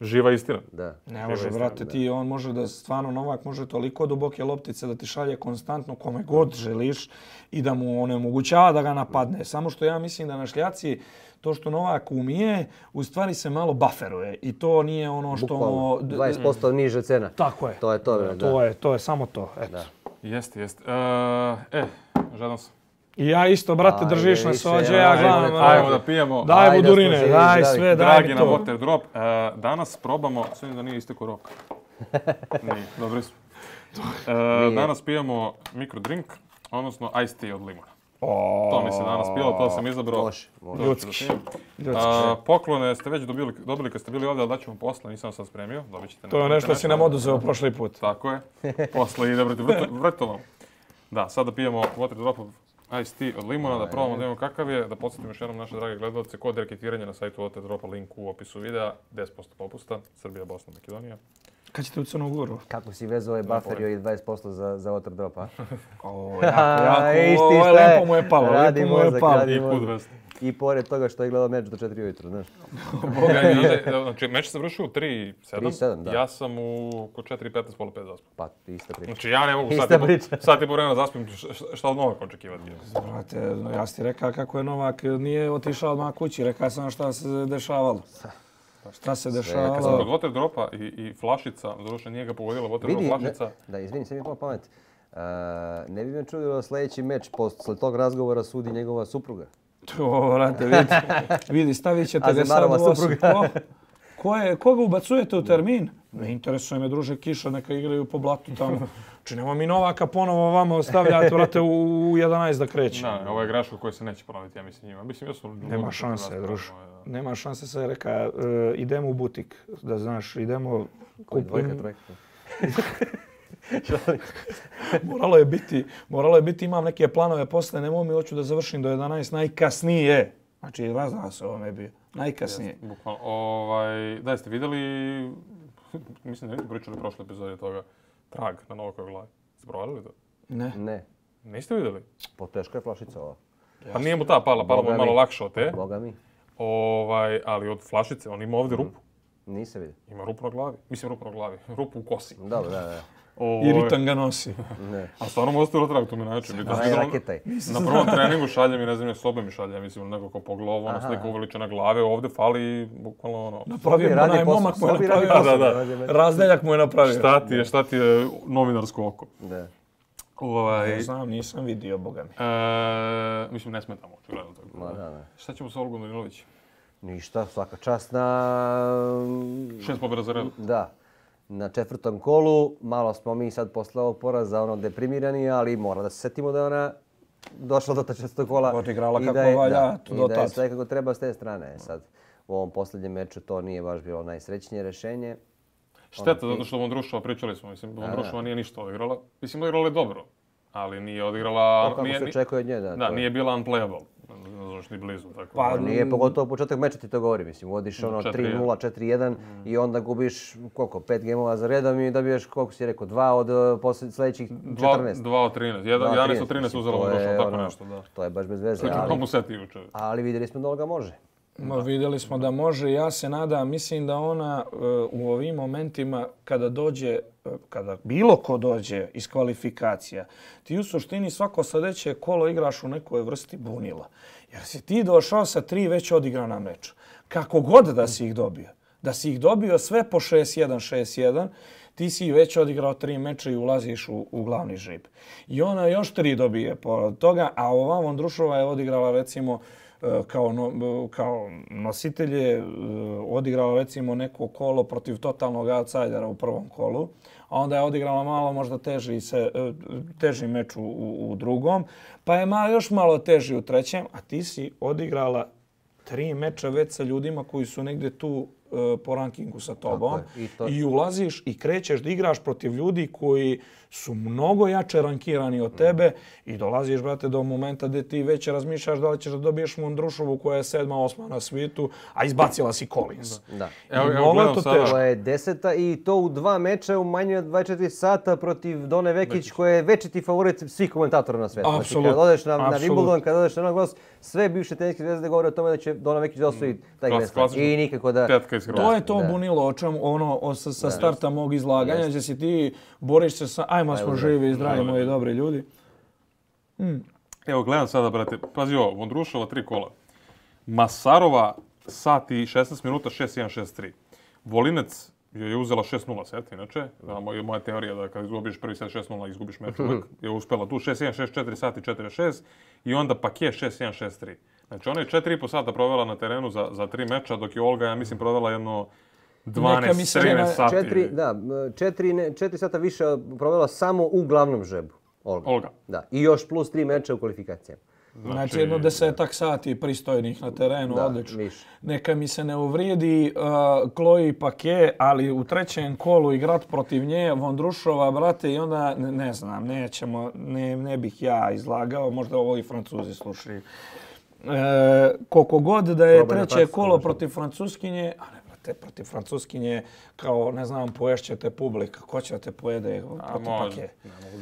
živa istina. Da. Ne može, brate, ti on može da, stvarno Novak može toliko duboke loptice da ti šalje konstantno kome god želiš i da mu onemogućava da ga napadne. Samo što ja mislim da na šljaci to što Novak umije, u stvari se malo bufferuje i to nije ono što... Bukvalno, dvadeset posto niže cena. Tako je. To je to, da. To je, to je samo to, eto. Da. Jeste, jeste. E, e, žadam sam. I ja isto, brate, Ajde, držiš na više, sođe, ajde, ja ajde, gledam. Ajmo ono, da pijemo. Daj Ajde, da budurine, smo živi, daj zdravi. sve, daj Dragi mi na to. Water Drop. E, danas probamo, sve da nije istekao rok. Nije, dobri smo. E, danas pijemo mikrodrink, odnosno iced tea od limuna. O, To mi se danas pilo, to sam izabrao. Može, može. To ću Ljudski. da pijem. Ljudski. A, poklone ste već dobili, dobili kad ste bili ovdje, ali daćemo posle, nisam sad spremio. Dobit ćete To je na nešto si nam internetu. oduzeo prošli put. Tako je. Posle ide brate vrto- vrtovom. Da, sada pijemo Water Dropov iced tea od limuna, da probamo da imamo kakav je. Da podsjetim još jednom naše drage gledalce, kod reketiranja na sajtu Water Dropa, link u opisu videa, deset posto popusta, Srbija, Bosna, Makedonija. Kad ćete u Crnu Goru? Kako si vezao ovaj buffer i dvadeset posto za, za water drop, a? O, jako, jako, Isti ovo je šta je. lepo mu je palo, Radi lepo mu je mozak, palo. radi I mozak. put vest. I pored toga što je gledao meč do četiri ujutro, znaš. Boga mi, znaš, znači, meč se završio u tri sedam, tri sedam, da. ja sam u oko četiri petnaest, pola pet zaspao. Pa, ista priča. Znači ja ne mogu Ista sat i po- priča. sat i po vremena zaspim, š- š- šta od Novaka očekivati? Brate, no, ja si ti rekao kako je Novak nije otišao odmah kući, rekao sam šta se dešavalo. Šta se Kad sam dešavalo? kod Water Dropa i, i flašica, doduše nije ga pogodila Water Drop Vidi, ne, flašica. da, izvini, sad mi je pala pamet. Uh, ne bi me čudilo sljedeći meč, posle tog razgovora sudi njegova supruga. To, brate, vidi, vidi stavit ćete ga sad Azemarova u os- supruga. Ko, ko je, koga ubacujete u termin? Ne interesuje me, druže, kiša, neka igraju po blatu tamo. Znači, nema mi Novaka ponovo vama ostavljati, vrate, u jedanaest da kreće. Da, ovo je greška koja se neće ponoviti, ja mislim njima. Mislim, ja su... Nema šanse, druže. Nema šanse, se reka, uh, idemo u butik, da znaš, idemo... Koji dvojka, trojka? moralo je biti, moralo je biti, imam neke planove posle, nemoj mi, hoću da završim do jedanaest najkasnije. Znači, razna se ovome bio. Najkasnije. Yes, bukvalno. Ovaj, da, jeste vidjeli, mislim da niste pričali u prošle epizode toga, trag na Novakovoj glavi. Ste provalili to? Ne. Ne. Niste vidjeli? Po teška je flašica ova. Pa nije mu ta pala, pala mu je malo lakše od te. Boga mi. Ovaj, ali od flašice, on ima ovdje rupu. Nisam vidio. Ima rupu na glavi. Mislim rupu na glavi. Rupu u kosi. Dobro, da, da. I Ritan ga nosi. Ne. A stvarno mu ostavilo trag, to mi način. Onaj raketaj. Na prvom treningu šalje mi, ne znam, sobe mi šalje, mislim, neko ko pogledao, ono slika uveličena glave, ovdje fali, bukvalno ono... Napravio mu onaj momak mu je napravio. Da, da, da. Razdeljak mu je napravio. Šta ti je, šta ti je novinarsko oko? Da. Ovaj... Ne znam, nisam vidio, boga mi. E, mislim, ne smetamo, očigledno tako. Ma, da, da. Šta ćemo sa Olgom Danilić? Ništa, svaka čast na... Šest pobjeda za redom. Da. Na četvrtom kolu, malo smo mi sad posle ovog poraza ono deprimirani, ali mora da se setimo da je ona došla do ta četvrtog kola. Odigrala kako je, valja, da, do i da je tad. sve kako treba s te strane. Sad, u ovom posljednjem meču to nije baš bilo najsrećnije rješenje. Šteta, zato što Vondrušova, pričali smo, mislim, Vondrušova nije ništa odigrala. Mislim, odigrala je dobro, ali nije odigrala... Kako nije, se očekuje od nje, da. Da, to nije bila unplayable. Ne znaš ni blizu, tako. Pa, Nije pogotovo početak meča ti to govori, mislim, vodiš ono tri nula, četiri jedan mm. i onda gubiš koliko, pet gemova za redom i dobiješ, koliko si rekao, dva od poslije, sljedećih četrnaest. Dva od trinaest, jedanaest od trinaest uzela Vondrušova, tako nešto, da. To je baš bez veze, Slično ali, komu seti juče. ali vidjeli smo da Olga može. No, vidjeli smo da može. Ja se nadam, mislim da ona uh, u ovim momentima kada dođe, uh, kada bilo ko dođe iz kvalifikacija, ti u suštini svako sljedeće kolo igraš u nekoj vrsti bunila. Jer si ti došao sa tri već odigrana meča. Kako god da si ih dobio. Da si ih dobio sve po šest jedan, šest jedan, ti si već odigrao tri meča i ulaziš u, u glavni žrib. I ona još tri dobije pored toga, a ova Vondrušova je odigrala recimo kao, no, kao nositelje, odigrala recimo neko kolo protiv totalnog outsidera u prvom kolu, a onda je odigrala malo možda teži, se, teži meč u, u drugom, pa je malo, još malo teži u trećem, a ti si odigrala tri meča već sa ljudima koji su negdje tu po rankingu sa tobom I, to... i ulaziš i krećeš da igraš protiv ljudi koji su mnogo jače rankirani od tebe i dolaziš, brate, do momenta gdje ti već razmišljaš da li ćeš da dobiješ Vondrušovu koja je sedma, osma na svijetu, a izbacila si Collins. Da. Evo, evo gledam to sada. To je deseta i to u dva meča u manje od dvadeset četiri sata protiv Done Vekić koja je večiti favorit svih komentatora na svijetu. Znači, kad odeš na, na Wimbledon, kad odeš na Roland Garros, sve bivše teniske zvezde govore o tome da će Dona Vekić da osvoji taj Grand Slam. I nikako da... To je to bunilo o čemu, ono, o, sa, sa starta mog izlaganja, gdje si ti boriš se sa, ajmo smo živi i zdravi moji dobri ljudi. Mm. Evo, gledam sada, brate, pazi ovo, Vondrušova tri kola. Masarova sat i šesnaest minuta, šest jedan, šest tri. Volinec joj je uzela šest nula set, inače. Da, moja, moja teorija da kad izgubiš prvi set šest nula, izgubiš meč uvek. Je uspela tu šest jedan, šest četiri sati, četiri šest i onda Paquet šest jedan, šest tri. Znači, ona je četiri i po sata provela na terenu za, za tri meča, dok je Olga, ja mislim, provela jedno dvanaest trinaest sati. Četiri, da, četiri, ne, četiri sata više provela samo u glavnom žrebu. Olga. Olga. Da, i još plus tri meča u kvalifikacijama. Znači, znači jedno desetak sati pristojnih na terenu, da, odlično. Viš. Neka mi se ne uvrijedi uh, Chloe Paquet, ali u trećem kolu igrat protiv nje, Vondrušova, brate, i onda, ne, ne znam, nećemo, ne, ne bih ja izlagao, možda ovo i Francuzi slušaju. E, koliko god da je Probaj treće kolo protiv Francuskinje, ali brate, protiv Francuskinje, kao, ne znam, poješćete publika, ko će da te pojede protiv Paquet?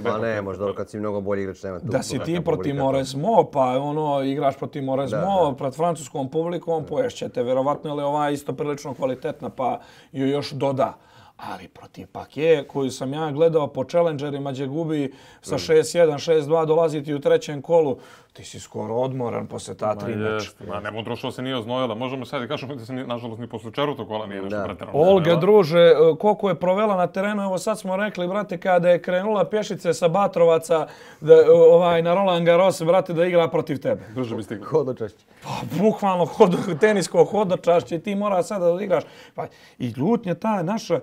Ma ne, možda kad si mnogo bolji igrač, nema tu. Da si ti protiv Mauresmo, pa ono, igraš protiv Mauresmo, pred francuskom publikom, poješćete. Vjerovatno je ova isto prilično kvalitetna, pa ju još doda. Ali protiv Paquet, koju sam ja gledao po challengerima gdje gubi sa šest jedan, šest dva, dolaziti u trećem kolu, ti si skoro odmoran posle ta tri meča. Ma ne, Vondrušova se nije oznojila. Možemo sad i kažemo da se nažalost ni posle četvrtog kola nije nešto preterano. Olga, druže, koliko je provela na terenu, evo sad smo rekli, brate, kada je krenula pješice sa Batrovaca da, ovaj, na Roland Garros, brate, da igra protiv tebe. Brže bi stigla. Hodočašće. Pa, bukvalno hod, tenisko hodočašće, ti mora sada da igraš. Pa, i ljutnja ta naša,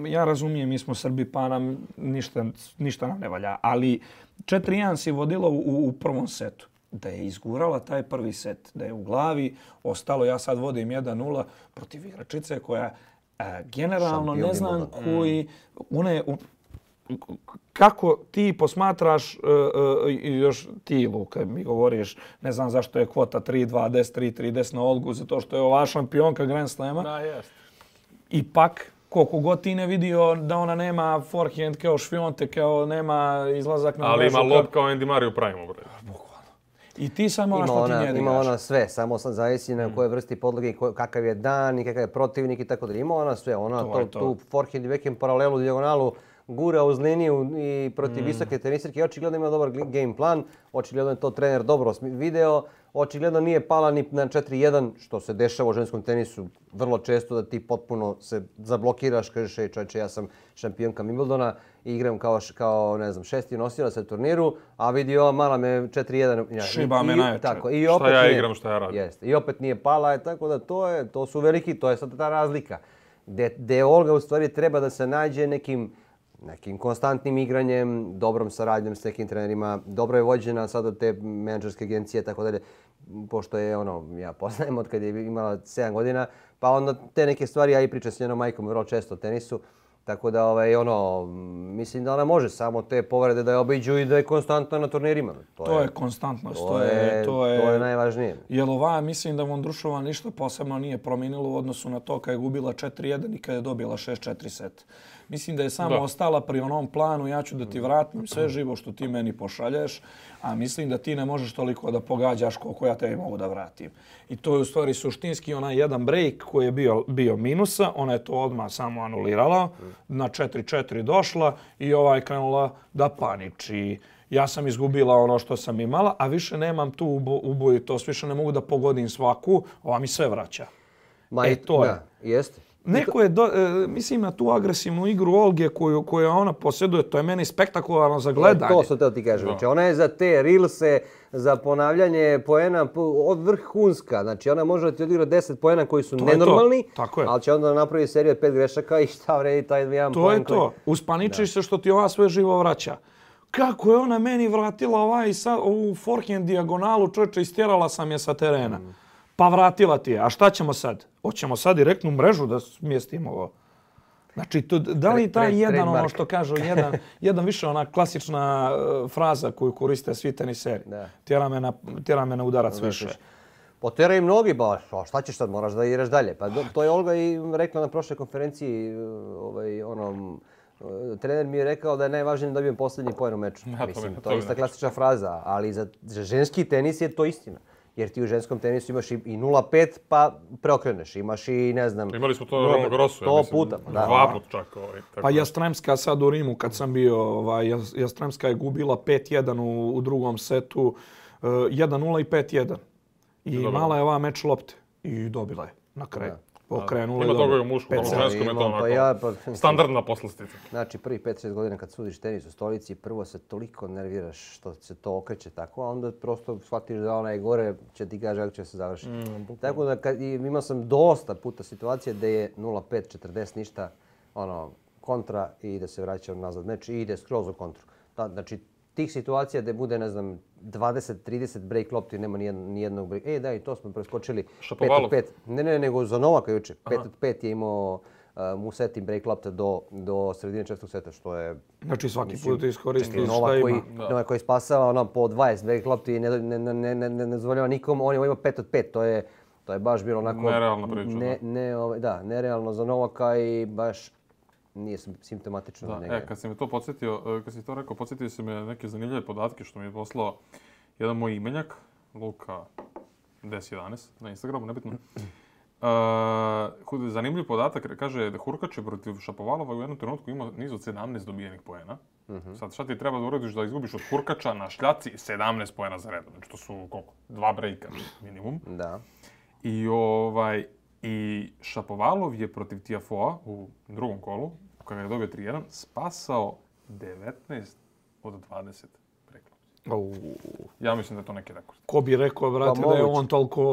ja razumijem, mi smo Srbi, pa nam ništa, ništa nam ne valja, ali četiri jedan si vodila u, u prvom setu. Da je izgurala taj prvi set, da je u glavi ostalo, ja sad vodim jedan nula protiv igračice koja e, generalno Šampion ne znam Wimbledona. koji, one, u, kako ti posmatraš, uh, uh, i još ti, Luka, mi govoriš, ne znam zašto je kvota tri dva, deset tri, tri deset na Olgu, zato što je ova šampionka Grand Slama. Da, jest. Ipak, koliko god ti ne vidio da ona nema forehand kao Šfionte, kao nema izlazak na Ali mrežu. ima lob kao Andy Murray u prime bre. I ti samo ono Ima što ti ona, njega ima igraš. ona sve, samo sad zavisi na koje vrsti podloge i ko- kakav je dan i kakav je protivnik i tako dalje. Ima ona sve, ona To to, je to. tu forehand i backhand paralelu, dijagonalu, gura uz liniju i protiv visoke tenisirke. Očigledno ima dobar gl- game plan, očigledno je to trener dobro smi- video, očigledno nije pala ni na četiri jedan, što se dešava u ženskom tenisu vrlo često, da ti potpuno se zablokiraš, kažeš, ej čovječe, ja sam šampionka Wimbledona i igram kao, š- kao ne znam, šesti nosilac na turniru, a vidi ova mala me četiri jedan. Ja, Šiba i- me i- najjače. Tako, i Šta opet ja nije- igram, šta ja radim. Jeste. I opet nije pala, je, tako da to je, to su veliki, to je sad ta razlika. Gde, gde Olga u stvari treba da se nađe nekim nekim konstantnim igranjem, dobrom saradnjom s nekim trenerima, dobro je vođena sad od te menadžerske agencije, tako dalje, pošto je ono, ja poznajem od kad je imala sedam godina, pa onda te neke stvari, ja i pričam s njenom majkom vrlo često o tenisu, tako da ovaj, ono, mislim da ona može samo te povrede da je obiđu i da je konstantno na turnirima. To je konstantnost, to to je, je, to je, to je najvažnije. Jer ova, mislim da Vondrušova ništa posebno nije promijenilo u odnosu na to kad je gubila četiri jedan i kad je dobila šest četiri set. Mislim da je samo Da. ostala pri onom planu, ja ću da ti vratim sve živo što ti meni pošalješ, a mislim da ti ne možeš toliko da pogađaš koliko ja tebi mogu da vratim. I to je u stvari suštinski onaj jedan break koji je bio, bio minusa, ona je to odmah samo anulirala, na četiri četiri došla i ovaj krenula da paniči. Ja sam izgubila ono što sam imala, a više nemam tu ubo, ubojitost, više ne mogu da pogodim svaku, ova mi sve vraća. Ma, E, i- to je. Da, jeste. Neko je, do, e, mislim na tu agresivnu igru Olge koju, koju ona posjeduje, to je meni spektakularno za gledanje. To sam teo ti kažem. Znači, ona je za te rilse, za ponavljanje poena po- od vrhunska. Znači, ona može da ti odigra deset poena koji su To je to. nenormalni, Tako je. ali će onda napravi seriju od pet grešaka i šta vredi taj jedan To poen je to. Uspaničiš se što ti ova sve živo vraća. Kako je ona meni vratila ovaj sa, ovu forehand dijagonalu, čovječe, istjerala sam je sa terena. Pa vratila ti je. A šta ćemo sad? Hoćemo sad direktnu mrežu da smjestimo ovo? Znači, to, da li Tre- taj tre- jedan, ono trademark. što kažu, jedan, jedan više ona klasična e, fraza koju koriste svi teniseri. Da. Tjera me na, tjera me na udarac više. Potera i mnogi, ba, a šta ćeš sad, moraš da igraš dalje. Pa do- to je Olga i rekla na prošloj konferenciji, ovaj, ono, trener mi je rekao da je najvažnije da dobijem posljednji poen u meču. Ja, to Mislim, mi- to to je mi ista ne- klasična fraza, ali za, za ženski tenis je to istina. Jer ti u ženskom tenisu imaš i, i nula pet pa preokreneš, imaš i ne znam... Imali smo to nula pet, Roland Garrosu, ja sto mislim. puta, pa da. Dva put čak. Ovaj, tako Pa da. Jastremska sad u Rimu kad sam bio, ovaj, Jas- Jastremska je gubila pet jedan u, u drugom setu, uh, jedan nula i pet jedan. I dobro. mala je ova meč lopte i dobila je na kraju. Pokrenula Ima i toga i dobila. u muškom, Pet ali u sedam. ženskom je to Imam, onako pa ja, pa- standardna poslastica. Znači, prvi pet šest godina kad sudiš tenis u stolici, prvo se toliko nerviraš što se to okreće tako, a onda prosto shvatiš da onaj gore će ti kaže kako će se završiti. Tako da kad, i imao sam dosta puta situacije da je nula pet četrdeset ništa, ono, kontra i da se vraća nazad meč i ide skroz u kontru. Da, znači, tih situacija da bude, ne znam, dvadeset trideset break lopti, nema nijednog, nijednog break. E, da, i to smo preskočili. pet Šapovalov. od pet. Ne, ne, nego za Novaka juče. pet od pet je imao uh, mu seti break lopta do, do sredine četvrtog seta, što je Znači svaki put iskoristi šta Novak ima. koji, Novak koji spasava ono, po dvadeset break lopti i ne, ne, ne, ne, ne, ne dozvoljava nikom, on je imao pet od pet. To je, to je baš bilo onako... Nerealna priča, Ne, ne, ovaj, da, nerealno za Novaka i baš nije sim- simptomatično za Da, njega. e, kad si me to podsjetio, e, kad si to rekao, podsjetio si me neke zanimljive podatke što mi je poslao jedan moj imenjak, Luka deset jedanaest na Instagramu, nebitno. Uh, zanimljiv podatak, kaže da Hurkač je protiv Šapovalova u jednom trenutku imao niz od sedamnaest dobijenih poena. Mhm. Sad šta ti treba da uradiš da izgubiš od Hurkača na šljaci sedamnaest poena za redom. Znači to su koliko? Dva brejka minimum. Da. I ovaj i Šapovalov je protiv Tiafoea u drugom kolu, kada je dobio tri jedan, spasao devetnaest od dvadeset preklopci. Au. Ja mislim da je to neki rekord. Ko bi rekao, brate, Pa da je moguće. on toliko,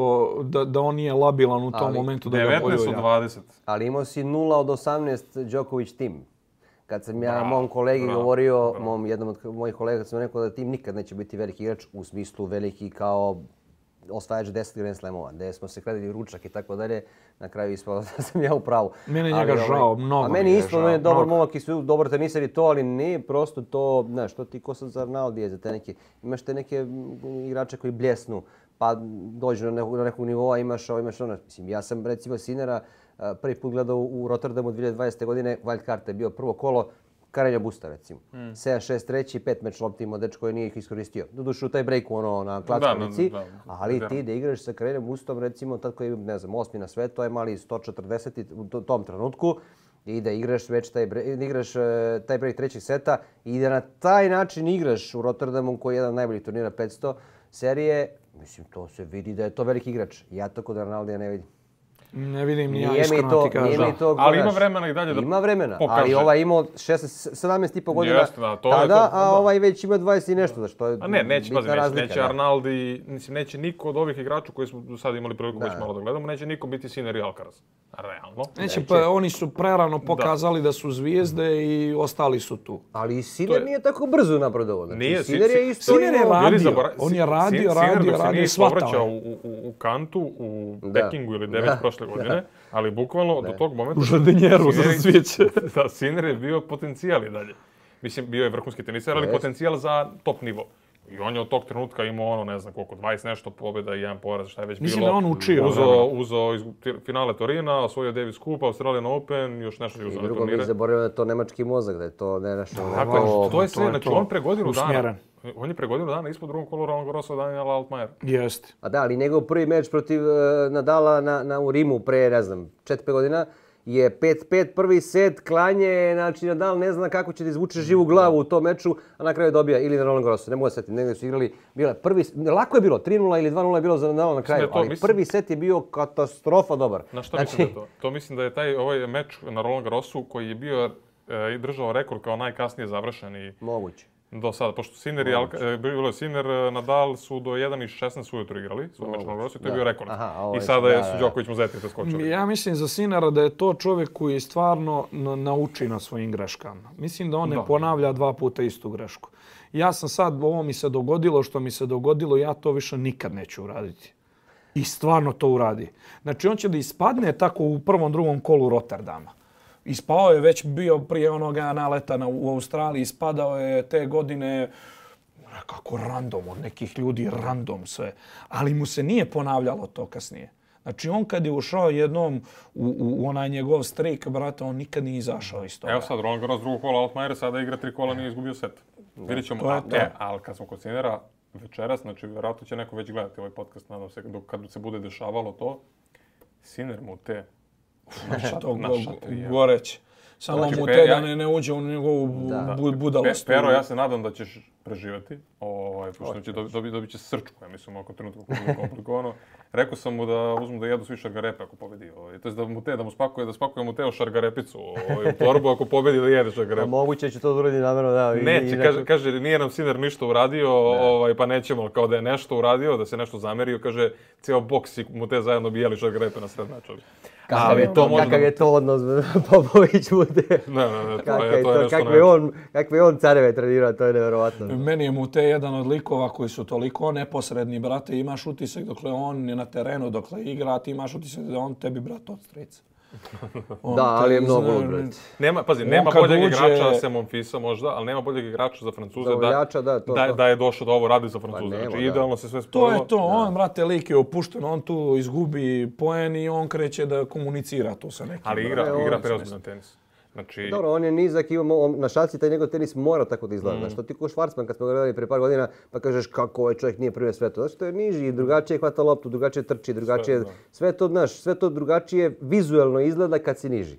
da, da on nije labilan u tom Ali momentu da ga devetnaest od pojulja. dvadeset. Ali imao si nula od osamnaest Djokovic tim. Kad sam ja Bravo, mom kolegi bravo, govorio, bravo. mom jednom od mojih kolega, sam rekao da tim nikad neće biti veliki igrač u smislu veliki kao osvajač deset Grand Slamova, gdje smo se kladili ručak i tako dalje, na kraju ispalo da sam ja u pravu. Meni je Ali, njega ovaj, žao, mnogo A mi meni je isto, žao, on je dobar mnogo. momak i sve dobar teniser i to, ali nije prosto to, znaš, to ti ko sad za Arnaldije, za te neke, imaš te neke mm, igrače koji bljesnu, pa dođu na nekog, na nekog nivoa, imaš ovo, imaš ono. Mislim, ja sam recimo Sinera a, prvi put gledao u Rotterdamu dvije tisuće dvadesete. godine, wild card je bio prvo kolo, Karenja Busta recimo. Mm. sedam šest treći, pet meč lopti imao dečko koji nije ih iskoristio. Doduše u taj breaku ono na klackanici, Da, da, da, ali da. ti da igraš sa Karenjom Bustom recimo tad koji je, ne znam, osmi na svetu, to je mali sto četrdeset u to- tom trenutku i da igraš već taj break, da igraš uh, taj break trećeg seta i da na taj način igraš u Rotterdamu koji je jedan od najboljih turnira petsto serije, mislim to se vidi da je to veliki igrač. Ja to kod Ronaldija ne vidim. Ne vidim ni ja Nije mi iskreno to, ti kažem. nije mi to Ali ima gledaš. vremena i dalje da Ima vremena, pokaže. ali ovaj imao šesnaest, sedamnaest i po godina Jeste, da, to je tada, to, a da. ovaj već ima dvadeset i nešto, znači to je A ne, neće, bitna pazi, neće, razlika. neće da. Arnaldi, mislim, neće niko od ovih igrača koji smo do sada imali priliku Da. već malo da gledamo, neće niko biti Sinner i Alcaraz. Realno. Neće, pa oni su prerano pokazali da su zvijezde i ostali su tu. Ali i To Sinner je- nije tako brzo napredovao. Znači, Nije, Sinner Si- je isto Sinner je imao- radio. Ili zabora- On je Sin- radio, Sinner radio, dok se radio, nije shvatao povraćao je. u, u, u kantu u Da. Pekingu ili gde već Da. prošle godine, ali bukvalno do tog momenta... U žardenjeru za Sinner- svijeće. Da, Sinner je bio potencijal i dalje. Mislim, bio je vrhunski teniser, ali Jest. potencijal za top nivo. I on je od tog trenutka imao ono, ne znam koliko, dvadeset nešto pobjeda i jedan poraz, šta je već Mislim bilo. da on učio Uzo, vremena. uzo iz finale Torina, osvojio Davis Cup, Australian Open, još nešto je I uzeo na drugo mi turnire. zaboravio da je to nemački mozak, da je to ne naš... Tako je, to je sve, to je znači to. on pre godinu dana, Usmjeren. on je pre godinu dana ispod drugom kolu Roland Garrosa Daniela Altmajera. Jeste. A da, ali njegov prvi meč protiv uh, Nadala na, na, u Rimu pre, ne znam, četiri pet godina je pet pet prvi set, klanje, znači Nadal ne zna kako će da izvuče živu glavu u tom meču, a na kraju dobija ili na Roland Garrosu, ne mogu da setim, negdje su igrali, bila prvi, lako je bilo, tri nula ili dva nula je bilo za Nadala na kraju, da je to, ali mislim- prvi set je bio katastrofa dobar. Na šta Znači, mislim da je to? To mislim da je taj ovaj meč na Roland Garrosu koji je bio e, i držao rekord kao najkasnije završen i Moguće. do sada, pošto Sinner i Alka, e, bilo je Sinner, e, Nadal su do jedan i šesnaest ujutro igrali, svoj meč na Roland Garrosu i to je Da. bio rekord. Aha, a ovo I je- sada je da, su da. Đoković Muzeti preskočili. Ja mislim za Sinera da je to čovjek koji stvarno na- nauči na svojim greškama. Mislim da on ne Da. ponavlja dva puta istu grešku. Ja sam sad, ovo mi se dogodilo, što mi se dogodilo, ja to više nikad neću uraditi. I stvarno to uradi. Znači on će da ispadne tako u prvom, drugom kolu Rotterdama. Ispao je već bio prije onoga naleta na, u Australiji, ispadao je te godine nekako random, od nekih ljudi random sve. Ali mu se nije ponavljalo to kasnije. Znači on kad je ušao jednom u, u, u onaj njegov streak, brate, on nikad nije izašao iz toga. Evo sad, Roland Garros drugog kola Altmajera, sada igra tri kola, nije izgubio set. Vidjet ćemo, to je a, to. e, ali kad smo kod Sinnera večeras, znači vjerojatno će neko već gledati ovaj podcast, nadam se, dok, kad se bude dešavalo to, Sinner mu te Znači, to naša go, tri, ja. goreć. Samo Znači, mu Pe- te da ja- ne, ne uđe u njegovu Da. bu, budalost. Pe, Pero, ja se nadam da ćeš preživjeti, ovaj, pošto će dobi, dobi, dobit će srčku, ja mislim, oko trenutka kako je komplikovano. Rekao sam mu da uzmu da jedu svi šargarepe ako pobedi. Ovaj. To je da mu te, da mu spakuje, da spakuje mu te o šargarepicu ovaj, u torbu ako pobedi da jede A šargarepe. moguće će to da uradi namjerno, da. i- i Neće, neko- kaže, kaže, nije nam Sinner ništa uradio, ovaj, pa nećemo, kao da je nešto uradio, da se nešto zamerio, kaže, cijel boks i mu te zajedno bi jeli šargarepe na sred meča. Kakav Ali je to, može kakav da- je to odnos Popović bude. Ne, ne, ne, to Kakav je, je to je to, nešto kakve ne. on, kakve on careve trenirao, to je nevjerovatno. Meni je Mute jedan od likova koji su toliko neposredni, brate, imaš utisak dokle on je na terenu, dokle igra, ti imaš utisak da on tebi, brate, od strica. On Da, ali je te mnogo zna- lud, brate. Nema, pazi, On nema kad boljeg uđe- igrača sem Monfisa možda, ali nema boljeg igrača za Francuze Za da, voljača, da, to, da, to. da je došao da ovo radi za Francuze. nema, Znači, da. idealno se sve To spojilo. je to, on, brate, lik je opušten, on tu izgubi poen i on kreće da komunicira tu sa nekim. Ali brate. igra, on igra se preozbiljan tenis. Znači, Dobro, on je nizak, imamo on- na šaci taj njegov tenis mora tako da izgleda. Znaš, to ti ko Schwarzman kad smo ga gledali pre par godina, pa kažeš kako ovaj čovjek nije prvi na svetu. Znači, to je niži, drugačije hvata loptu, drugačije trči, drugačije, da. sve to, znaš, sve to drugačije vizuelno izgleda kad si niži.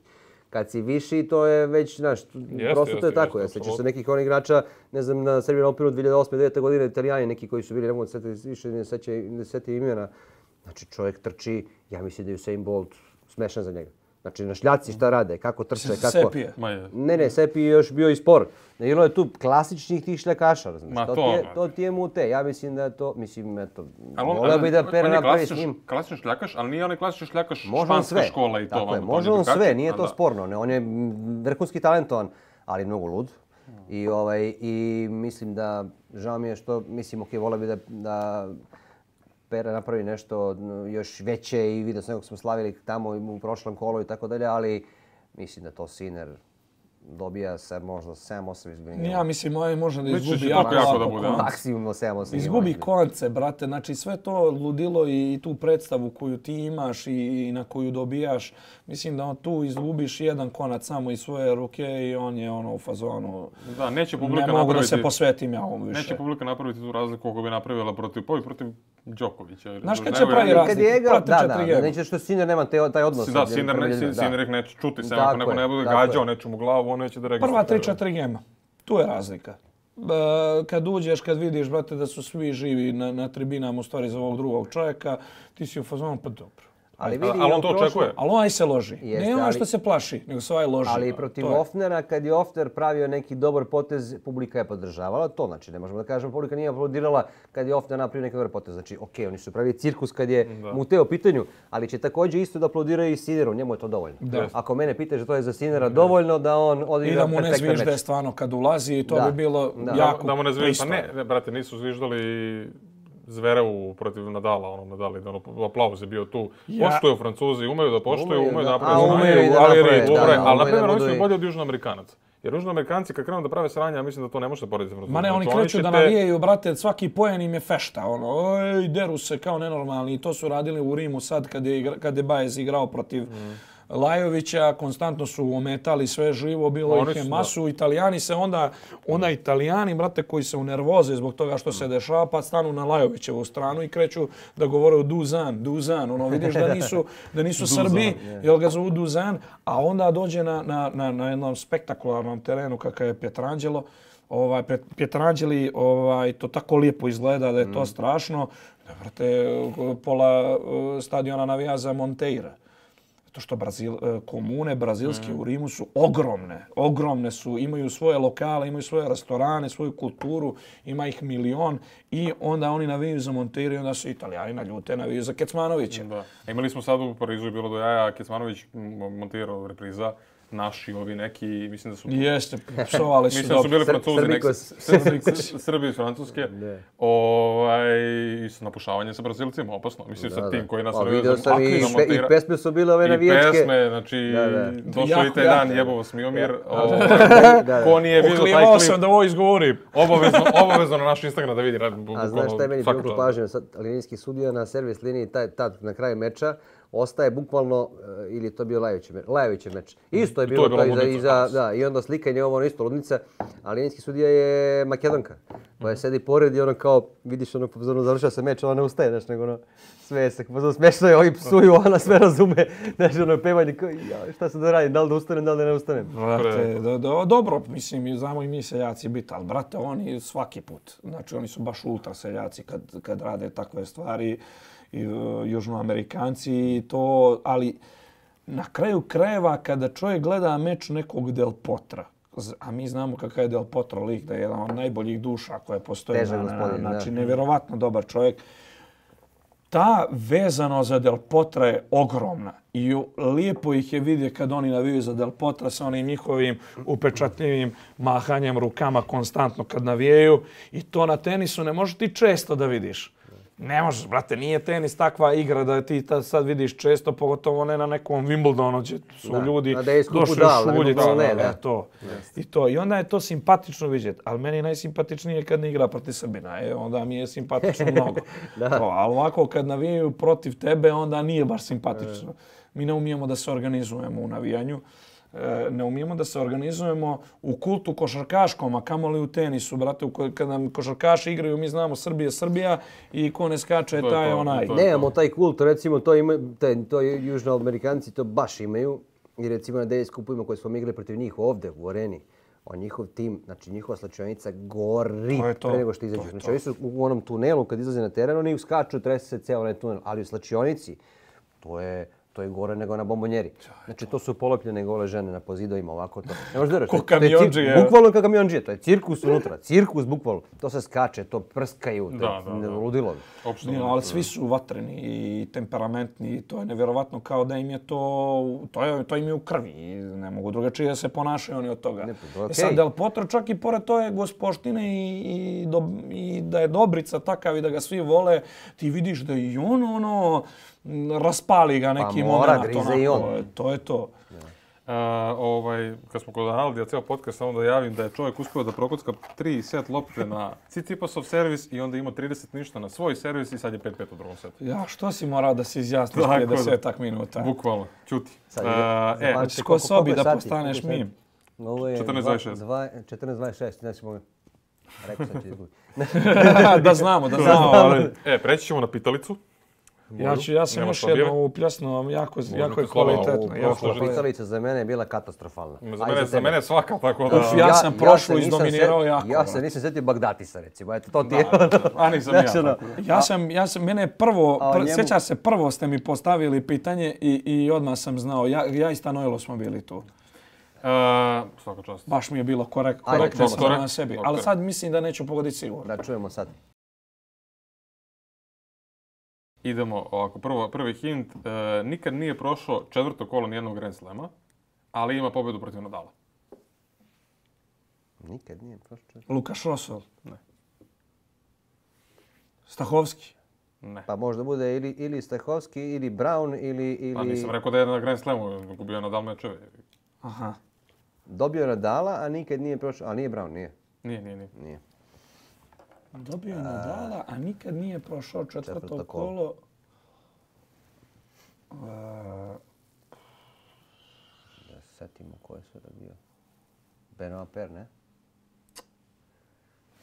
Kad si viši, to je već, znaš, Jeste, prosto to je jeste, tako. jeste, Ja sećaš se apsolutno. nekih onih igrača, ne znam, na Serbian Openu dvije hiljade osme devete godine, Italijani neki koji su bili, ne mogu da setiti više, ne sećam ne sećam imena. Znači, čovjek trči, ja mislim da je Usain Bolt smešan za njega. Znači, na šljaci šta rade, kako trče, kako... Sepije. Ne, ne, Sepi je još bio i spor. Bilo je tu klasičnih tih šljakaša, Ma to, to, ti je, ma. to ti je mute. Ja mislim da je to, mislim, eto, Ali on, voleo bi da on Pera je napravi s klasičan- njim. klasičan šljakaš, ali nije onaj klasičan šljakaš Može on španska sve. škola i to. Tako je, vamo, može on modifikacije. sve, nije A to da. sporno. Ne, on je vrhunski talentovan, ali mnogo lud. I, ovaj, I mislim da, žao mi je što, mislim, ok, voleo bi da, da Pera napravi nešto još veće i vidio sam nekog smo slavili tamo u prošlom kolu i tako dalje, ali mislim da to Sinner dobija sa možda sedam osam izgubljenih. Ja mislim, ovaj može da Misliš izgubi će jako, tako jako jako da bude, konce. a? Maksimum sedam osam. Izgubi konce, brate. Znači sve to ludilo i tu predstavu koju ti imaš i na koju dobijaš. Mislim da on tu izgubiš jedan konac samo iz svoje ruke i on je ono u fazonu. Da, neće publika Ne mogu da napraviti... se posvetim ja ovom više. Neće publika napraviti tu razliku koliko bi napravila protiv, pa i protiv Đokovića. Znaš kad Nego će je- pravi razliku? Kad je igrao, Prati da, četiri da, gema. da, neće što Sinner nema te, taj odnos. Da, sa Sinner, ne, ljudima, Sinner nek neće čuti, samo Tako ako neko je, ne bude tako je. gađao nečemu glavu, on neće da registruje. Prva tri četiri gema. Tu je razlika. E, kad uđeš, kad vidiš, brate, da su svi živi na, na tribinama u stvari za ovog drugog čovjeka, ti si u fazonu, pa dobro. Ali, Ali- vidi, ali i on u to prošlom- očekuje. Ali ovaj se loži. Jeste, ne onaj ali- što se plaši, nego se ovaj loži. Ali protiv To je. Ofnera, kad je Ofner pravio neki dobar potez, publika je podržavala to. Znači, ne možemo da kažemo, publika nije aplaudirala kad je Ofner napravio neki dobar potez. Znači, okej, oni su pravili cirkus kad je Mute u pitanju, ali će također isto da aplaudiraju i Sinneru, njemu je to dovoljno. Da. Ako mene pitaš da to je za Sinnera dovoljno da on I odigra da mu ne perfektan zvižde meč. stvarno kad ulazi i to Da. bi bilo Da. jako Da mu ne zvižda, pa pristojno. ne, ne, brate, nisu zviždali Zverevu protiv Nadala, ono Nadali, da ono, aplauz je bio tu. Ja- Poštuju Francuzi, umeju da poštuju, Umeju umeju da- da naprave a, sranje, umeju i da ali naprave, red, da, dobro je, da, ali na umeju da primjer oni budu su i- bolji od Južnoamerikanaca. Jer Južnoamerikanci kad krenu da prave sranje, ja mislim da to ne može porediti sa Francuzima. Ma ne, oni Znači, kreću će da te- navijaju, brate, svaki poen im je fešta, ono, ej, deru se kao nenormalni. I to su radili u Rimu sad kad je, igra- kad je Baez igrao protiv Lajovića, konstantno su ometali sve živo, bilo Oni ih je su, masu. Italijani se onda, onda Italijani, brate, koji se unervoze zbog toga što se dešava, pa stanu na Lajovićevu stranu i kreću da govore o Duzan, Duzan. Ono, vidiš da nisu, da nisu Srbi, jel ga zovu Duzan, a onda dođe na, na, na, na jednom spektakularnom terenu kakav je Pietrangelo. Ovaj, Pet- Pietrangeli, ovaj, to tako lijepo izgleda da je to strašno. Da, brate, pola uh, stadiona navija za Monteira. To što Brazil, e, komune brazilske u Rimu su ogromne. Ogromne su, imaju svoje lokale, imaju svoje restorane, svoju kulturu, ima ih milion i onda oni navijaju za Monteiro i onda se Italijani naljute, navijaju za Kecmanovića. Da. A imali smo sad u Parizu je bilo do jaja, Kecmanović montirao repriza, naši ovi neki, mislim da su... Jeste, psovali su Mislim da su bili Sr- Francuzi, neki, Srbikos. Srbi, Srbi iz Francuske, ovaj, i s napušavanjem sa Brazilcima, opasno. Mislim, sa tim koji nas A, navio vidio za- sam i, za pe, i montira. pesme su bile ove I navijačke. pesme, znači, Da, da. došao Jako, i taj jako. dan, jebo vas Miomir. ovaj, Da, da. Ko nije vidio taj Uklijevao klip, sam da ovo izgovorim. obavezno, obavezno na naš Instagram da vidi. A znaš šta je meni bilo pažnje? Sad linijski sudija na servis liniji taj, tad na kraju meča ostaje bukvalno, uh, ili je to bio Lajovićev meč, Lajovićev meč. Isto je to bilo je to, bila iza, ludnica. iza, da, i onda slikanje ovo ono isto ludnica, a linijski sudija je Makedonka, koja sedi pored i ono kao, vidiš ono, pozorno završava se meč, ona ne ustaje, znaš, nego ono, sve se, pozorno smešno je, ovi psuju, ona sve razume, znaš, ono pevanje, kao, ja, šta se da radim, da li da ustanem, da li da ne ustanem. Brate, do, do, dobro, mislim, znamo i mi seljaci biti, ali brate, oni svaki put. Znači, oni su baš ultra seljaci kad, kad rade takve stvari, i, uh, južnoamerikanci i to, ali na kraju krajeva kada čovjek gleda meč nekog Del Potra, z- a mi znamo kakav je Del Potro lik, da je jedan od najboljih duša koje postoje, Težak na, na, gospodin, da. znači, nevjerovatno dobar čovjek. Ta vezano za Del Potra je ogromna i lijepo ih je vidjeti kad oni navijaju za Del Potra sa onim njihovim upečatljivim mahanjem rukama konstantno kad navijaju i to na tenisu ne možeš ti često da vidiš. Ne možeš, brate, nije tenis takva igra da ti ta sad vidiš često, pogotovo ne na nekom Wimbledonu gdje su Da, ljudi na Davis Cupu došli da, ali na šuljiti. Wimbledonu ne, da, da. to. I to. I onda je to simpatično vidjeti, ali meni je najsimpatičnije kad ne igra protiv Srbina. E, onda mi je simpatično mnogo. To, ali ovako kad navijaju protiv tebe, onda nije baš simpatično. Mi ne umijemo da se organizujemo u navijanju. E, ne umijemo da se organizujemo u kultu košarkaškom, a kamoli u tenisu, brate, u ko- kad nam košarkaši igraju, mi znamo Srbija, Srbija i ko ne skače, To je taj je to, onaj. to je Nemamo taj kult, recimo to ima, te, to južnoamerikanci to baš imaju. I recimo na Davis Cupovima koji smo igrali protiv njih ovdje u areni, on njihov tim, znači njihova slačionica gori To je to, pre nego što izađu. to je Znači to. oni su u onom tunelu kad izlaze na teren, oni skaču, trese se ceo onaj tunel, ali u slačionici to je To je gore nego na bombonjeri. Znači, to su polepljene gole žene na pozidovima, ovako to. Ne možeš vjerovati. Ko kamionđije. Bukvalno kao kamionđije. To je cirkus unutra. Cirkus, bukvalno. To se skače, to prskaju. Da, da, da. Ludilo. Nije, ali svi su vatreni i temperamentni. To je nevjerovatno kao da im je to... To, je, to im je u krvi. Ne mogu drugačije da se ponašaju oni od toga. Ne, to je okay. E sad, Del Potro čak i pored toje gospoštine i, i, do, i da je Dobrica takav i da ga svi vole, ti vidiš da i on ono... raspali ga neki pa mora, moment. grize i on. To je to. Uh, ovaj, kad smo kod Arnaldija ceo podcast, samo da javim da je čovjek uspio da prokocka tri set lopte na Tsitsipasov servis i onda imao trideset ništa na svoj servis i sad je pet pet u drugom setu. Ja, što si morao da se izjasniš prije desetak minuta? Bukvalno, ćuti. Sad, uh, e, znači, ko sobi da postaneš mim? Ovo je četrnaest dvadeset šest. četrnaest dvadeset šest, znači mogu... Rekao sam ti izgubiti. Da znamo, da znamo. Ali... E, preći ćemo na pitalicu. Ja, ću, ja sam još jedno upljasnuo, jako, jako je kvalitetno. Jako pitalica za mene je bila katastrofalna. Za mene, za mene svaka, tako da... Uf, ja, ja sam prošlo ja izdominirao jako. Ja se nisam sjetio Bagdatisa, recimo. Eto, to ti je... A nisam ja. Tako. Ja sam, ja sam, mene prvo, pr, njemu... sjeća se, prvo ste mi postavili pitanje i, i odmah sam znao. Ja, ja i Stanojlo smo bili tu. Uh, svaka čast. Baš mi je bilo korek, korektno na sebi. Okay. Ali sad mislim da neću pogoditi sigurno. Da čujemo sad. Idemo ovako, prvo, prvi hint, e, nikad nije prošao četvrto kolo nijednog Grand Slama, ali ima pobjedu protiv Nadala. Nikad nije prošao četvrto. Lukaš Rosol? Ne. Stahovski? Ne. Pa možda bude ili, ili Stahovski, ili Brown, ili... ili... Pa nisam rekao da je na Grand Slamu, gubio je Nadal mečeve. Aha. Dobio je Nadala, a nikad nije prošao, a nije Brown, nije? Nije, nije, nije. Nije. Dobio je Nadala, a nikad nije prošao četvrto, četvrto kolo. kolo. Uh, da se setimo ko je sve bio. Benoit Per, ne?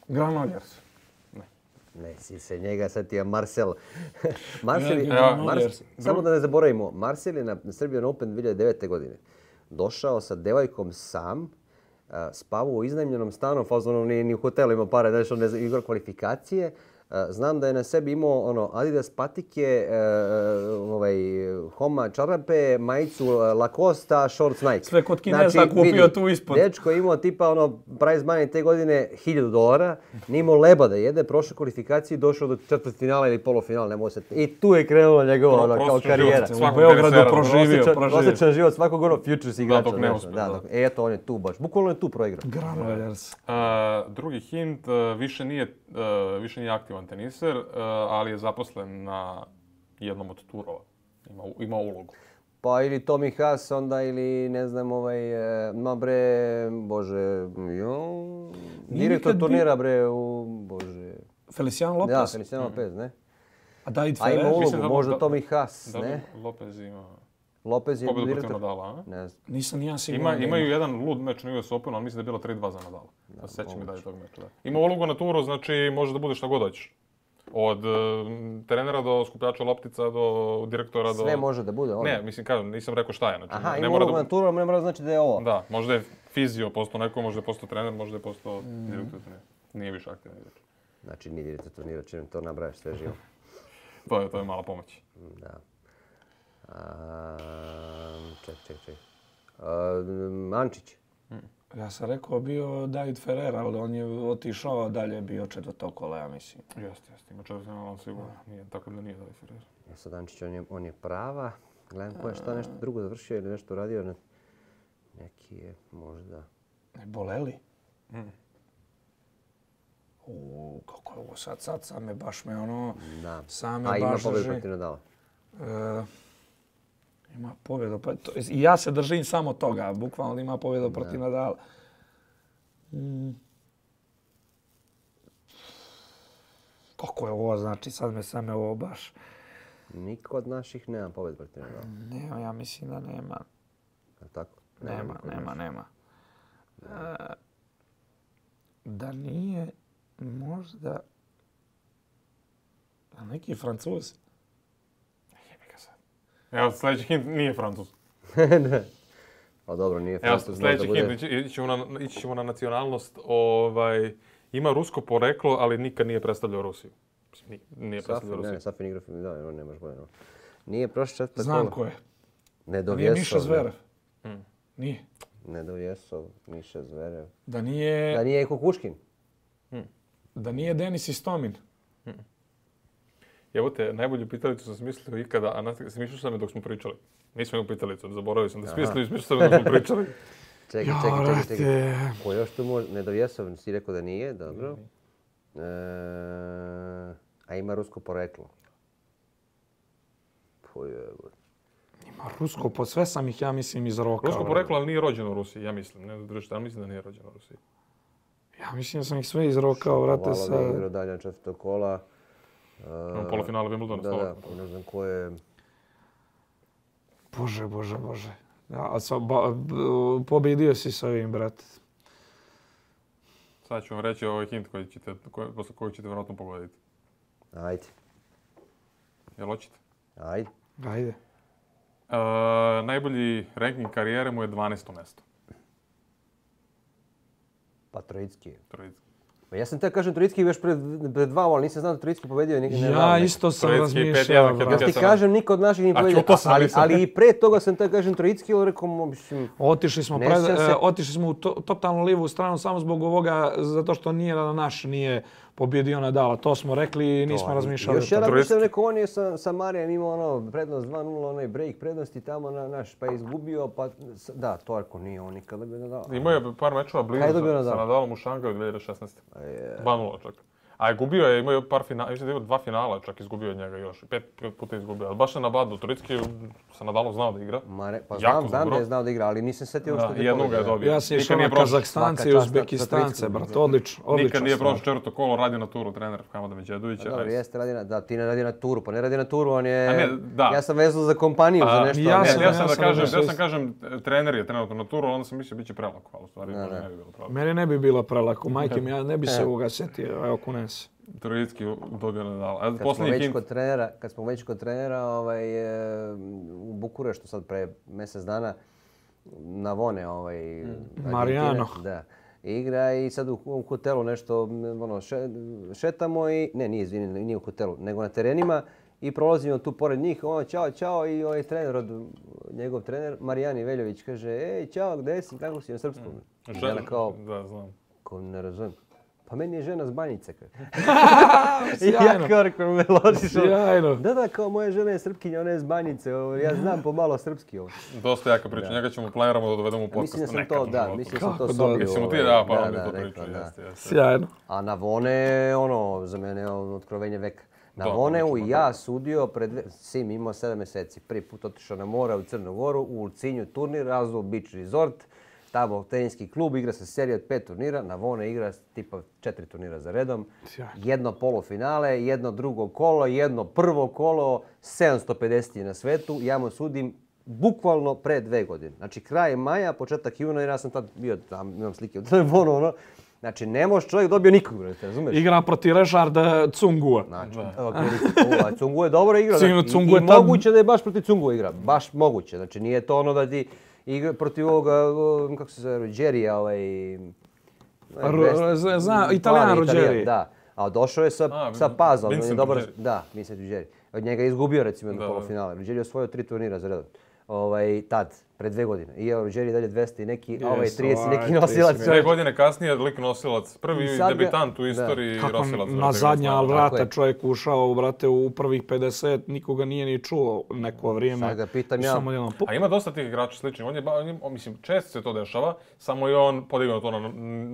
Granollers. Ne. Ne, si se njega setio Marcel. Marcel, ja, Marcel samo da ne zaboravimo, Marcel je na Serbian Open dvije hiljade devete. godine došao sa devojkom sam, spavao u iznajmljenom stanu, fazon ni, ni u hotelu ima pare, znači on ne igra kvalifikacije. Znam da je na sebi imao ono Adidas patike, uh, ovaj Homa čarape, majicu Lacosta, shorts Nike. Sve kod Kineza znači, kupio vidi, tu ispod. Dečko je imao tipa ono prize money te godine hiljadu dolara, nije imao leba da jede, prošao kvalifikaciju i došao do četvrtfinala ili polufinala, ne mogu se. I tu je krenula njegova ono, kao karijera. U Beogradu proživio, proživio. Prosječan život svakog ono futures igrača. Da, nešto. Da, da. E, eto, on je tu baš. Bukvalno je tu proigrao. Granollers. Uh, drugi hint, uh, više nije, uh, više nije aktivan teniser, uh, ali je zaposlen na jednom od turova. Ima, ima ulogu. Pa ili Tommy Haas, onda ili ne znam ovaj, no bre, bože, jo, direktor turnira bre u, bože. Feliciano Lopez? Da, Feliciano Lopez, ne? A David Ferrer? A ima ulogu, da, možda da, Tommy Haas, da, ne? Lopez ima... Lopez je pobjedu direktor. protiv Nadala, a? Ne znam. Nisam ja siguran. Ima, imaju jedan lud meč na U S Openu, ali mislim da je bilo tri dva za Nadala. Da, sećam mi da je tog meča, da. Ima ulogu na turu, znači može da bude šta god hoćeš. Od uh, trenera do skupljača loptica, do direktora, do... Sve može da bude ono. Ne, mislim, kažem, nisam rekao šta je. Znači, aha, ne ima mora ulogu da... na turu, ne mora znači da je ovo. Da, možda je fizio postao neko, možda je postao trener, možda je postao mm. direktor turnira. Nije više aktivan igrač. Znači, nije direktor turnira, čim to nabrajaš sve živo. to, je, to je mala pomoć. Da. Um, ček, ček, ček. Um, Ančić. Mm. Ja sam rekao bio David Ferrer, ali on je otišao dalje, bio četvrto kola, ja mislim. Jeste, jeste. Ima četvrtfinala, on sigurno. Nije, tako da nije David Ferrer. Ja sad Ančić, on je, on je prava. Gledam ko je šta nešto drugo završio ili nešto uradio. Ne... Neki je možda... Ne boleli? Mm. Uuu, kako je ovo sad, sad same baš me ono... Da. Same a baš ima pobjedu drži. protiv Nadala. E, ima pobjedu, pa to, ja se držim samo toga, bukvalno ima pobjedu protiv Nadala. Mm. Kako je ovo, znači sad me same ovo baš... Niko od naših nema pobjedu protiv Nadala. Nema, ja mislim da nema. Tako? Nema, nema, nema. E, da nije možda... A neki Francuz? Jebi ga sad. Evo, sljedeći hint nije Francuz. ne. Pa dobro, nije Francuz. Evo, sljedeći hint, ići, ići, ćemo na, ići ćemo na nacionalnost. Ovaj, ima rusko poreklo, ali nikad nije predstavljao Rusiju. Nije, nije predstavljao Rusiju. Ne, ne, Safin igra, da, on nemaš bolje. No. Nije prošlo četvrto Znam kolo. ko je. Nije Miša Zverev. Hmm. Nije. Nedovjesov, Miša Zverev. Da nije... Da nije Kukuškin. Hmm. Da nije Denis Istomin. Hmm. Evo te, najbolju pitalicu sam smislio ikada, a smišljao sam je dok smo pričali. Nismo imali pitalicu, zaboravio sam da smislio i smišljao sam je dok smo pričali. Čekaj, čekaj, čekaj, čekaj. Ko još tu može? Nedovjesov, si rekao da nije, dobro. E, a ima rusko poreklo. Pojebo. Ima rusko, po sve sam ih, ja mislim, izrokao. Rusko poreklo, ali nije rođeno u Rusiji, ja mislim. Ne držite, ali mislim da nije rođeno u Rusiji. Ja mislim da sam ih sve izrokao, vrate, sa... Hvala da igra dalje četvrtog kola. Imamo uh, polufinale Wimbledona. Da, da, ne znam ko je... Bože, bože, bože. Ja, sa, ba, b, pobjedio si s ovim, brate. Sad ću vam reći ovaj hint koji ćete, koji, posle kojeg ćete vjerojatno pogoditi. Ajde. Jel hoćete? Ajde. Ajde. Uh, najbolji ranking karijere mu je dvanaesto mjesto. Pa Trojicki. Trojicki. Ja sam te kažem Trojicki još pred, pred dva, ali nisam znao da Trojicki pobedio. Nik, ne ja isto sam razmišljao. Ja ti kažem, niko od naših nije pobedio. Ali, ali i pre toga sam te kažem Trojicki, ali rekao, mislim... Otišli smo, pred, se... otišli smo u to, totalno lijevu stranu samo zbog ovoga, zato što nije naš nije pobjedio Nadala. To smo rekli i nismo to, razmišljali. Još ja razmišljam, rekao, on je sa, sa Marijem imao ono, prednost dva nula, onaj break prednosti tamo na naš, pa je izgubio, pa da, to ako nije on nikada bi Nadala. Imao je par mečeva blizu sa, sa Nadalom u Šangaju dvije hiljade šesnaeste. dva nula čak. A je gubio je, imao je par finala, mislim da je dva finala čak izgubio od njega još. Pet puta izgubio, ali baš je na badu. Trojicki sa Nadalom znao da igra. Mare, pa znam, znam da je znao da igra, ali nisam setio da, što je jednog je dobio. Ja sam išao na Kazahstance i Uzbekistance, brat, odlično. Nikad nije prošao četvrto kolo, radi na turu trener Hamada Međedovića. Dobro, jeste, radi na, da, ti ne radi na turu, pa ne radi na turu, on je... Ne, da. Ja sam vezao za kompaniju, a, za nešto. Ja, ne, sam, ja sam ja da sam kažem, da ja sam kažem, trener je trenutno na turu, onda sam mislio bit će prelako, ali u stvari da, da. ne bi bilo prelako. Meni ne bi bilo prelako, majke mi, ja ne bi se ovoga setio, evo kunem se. Trojicki dobio Nadala. A kad, smo već kod trenera, kad smo već kod trenera ovaj, u Bukureštu sad pre mjesec dana Navone, ovaj, mm. Marijano. Da, igra i sad u, u hotelu nešto ono, še, šetamo i, ne, nije, izvini, nije u hotelu, nego na terenima i prolazimo tu pored njih, ono, čao, čao i ovaj trener, od, njegov trener, Marijani Veljović, kaže, ej, čao, gdje si, kako si na srpskom? Mm. Žena, kao, da, znam. Ko ne razumijem. Pa meni je žena s Banjice. Sjajno. Ja kao rekao me ložiš. Sjajno. Da, da, kao moja žena je Srpkinja, ona je s Banjice. Ja znam pomalo srpski ovo. Dosta jaka priča. Njega ćemo planiramo da dovedemo u podcast. Mislim da sam to, da, mislim sam to sobio. Mislim ti, da, pa on mi to priča. Sjajno. A Navone, ono, za mene je otkrovenje veka. Navoneu i ja sudio pred... Sim imao sedam mjeseci. Prvi put otišao na more u Crnu Goru, u Ulcinju turnir, Razul Beach Resort. Tamo teniski klub, igra se serija od pet turnira, Navone igra tipa četiri turnira za redom. Jedno polufinale, jedno drugo kolo, jedno prvo kolo, sedamsto pedeset na svetu. Ja mu sudim bukvalno pre dve godine. Znači kraj maja, početak juna, jer ja sam tad bio tam, imam slike u telefonu, ono. Znači, ne može čovjek dobio nikog, brate, razumeš? Igra protiv Režarda Cungua. Znači, okay, Cungu je dobro igra. Znači, I, i moguće da je baš protiv Cungu igra. Baš moguće. Znači, nije to ono da ti igra protiv ovoga, kako se zove, Rogerija, ovaj... Zna, Italijan Rogerija. Da, a došao je sa, a, sa Pazom. Vincent dobro, da, Vincent Rogerija. Od njega je izgubio, recimo, na polufinale. Rogerija je osvojio tri turnira za redom. Ovaj, tad, pred dve godine. I evo, Rogerija dalje dvesta i neki, a ovaj trideset i neki nosilac. Dve godine kasnije lik nosilac. Prvi debitant u istoriji nosilac. Na zadnja vrata čovjek ušao, brate, u prvih pedeset, nikoga nije ni čuo neko vrijeme. Sad ga pitam ja. A ima dosta tih igrača sličnih. On je, on, mislim, često se to dešava, samo je on podigao to na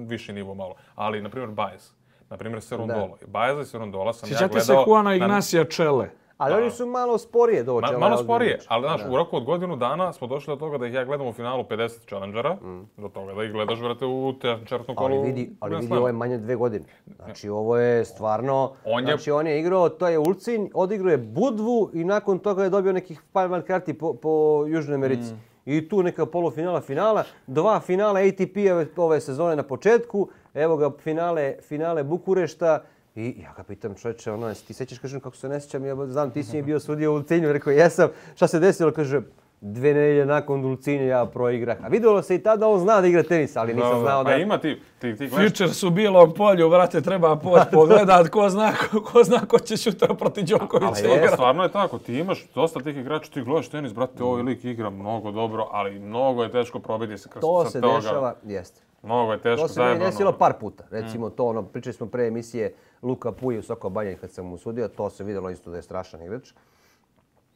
viši nivo malo. Ali, na primjer, Baez. Na primjer, Serundolo. Baeza i Serundola sam ja gledao... Sjećate se Juana Ignacija Čele? Ali oni su malo sporije dođe. Ma, malo sporije, ali znaš, u roku od godinu dana smo došli do toga da ih ja gledam u finalu pedeset Challengera, mm. do toga da ih gledaš, vrate, u četvrtom kolu. Ali vidi, ali vidi ovo je manje dve godine. Znači, ovo je stvarno... On je... Znači, on je igrao, to je Ulcinj, odigrao je Budvu i nakon toga je dobio nekih par man karti po, po Južnoj Americi. Mm. I tu neka polufinala, finala, dva finala A T P ove sezone na početku, evo ga finale, finale Bukurešta. I ja ga pitam, čovječe, ono, ti sećaš, kažem, kako se ne sjećam, ja znam, ti si mi bio sudio u Ulcinju, rekao, jesam, šta se desilo, kaže, Dve nedelje nakon Dulcinje ja proigrah. A vidjelo se i tada on zna da igra tenis, ali nisam znao da... A ima ti, ti, ti gledaš... Futures u bilom polju, vrate, treba poći pogledat, ko zna ko, ko, zna ko će sutra protiv Đokovića igrati. Stvarno je tako, ti imaš dosta tih igrača, ti gledaš tenis, brate, ovaj lik igra mnogo dobro, ali mnogo je teško probiti se kroz to sa se toga. Dešava, jeste. Mnogo je teško, to se meni desilo par puta. Recimo to, ono, pričali smo pre emisije Luka Puj u Soko Banjan kad sam mu sudio, to se vidjelo isto da je strašan igrač.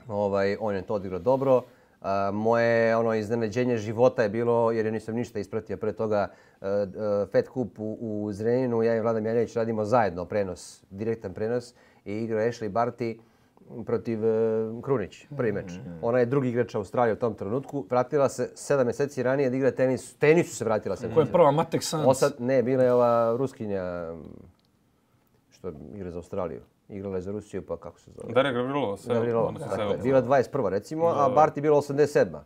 Ovaj, on je to odigrao dobro. Uh, moje ono iznenađenje života je bilo, jer ja nisam ništa ispratio pre toga, uh, uh, Fed Cup u, u Zrenjaninu, ja i Vlada Mijanović radimo zajedno prenos, direktan prenos i igrao Ashley Barty protiv uh, Krunić, prvi meč. Ona je drugi igrač Australije u tom trenutku, vratila se sedam mjeseci ranije da igra tenis, tenisu se vratila sedam. Koja je prva, Matek Sanz? Osad, ne, bila je ova Ruskinja što igra za Australiju. Igrala je za Rusiju, pa kako se zove? Darija Gavrilova. Gavrilova, dakle, bila dvadeset prva recimo, a Barty bila osamdeset sedma.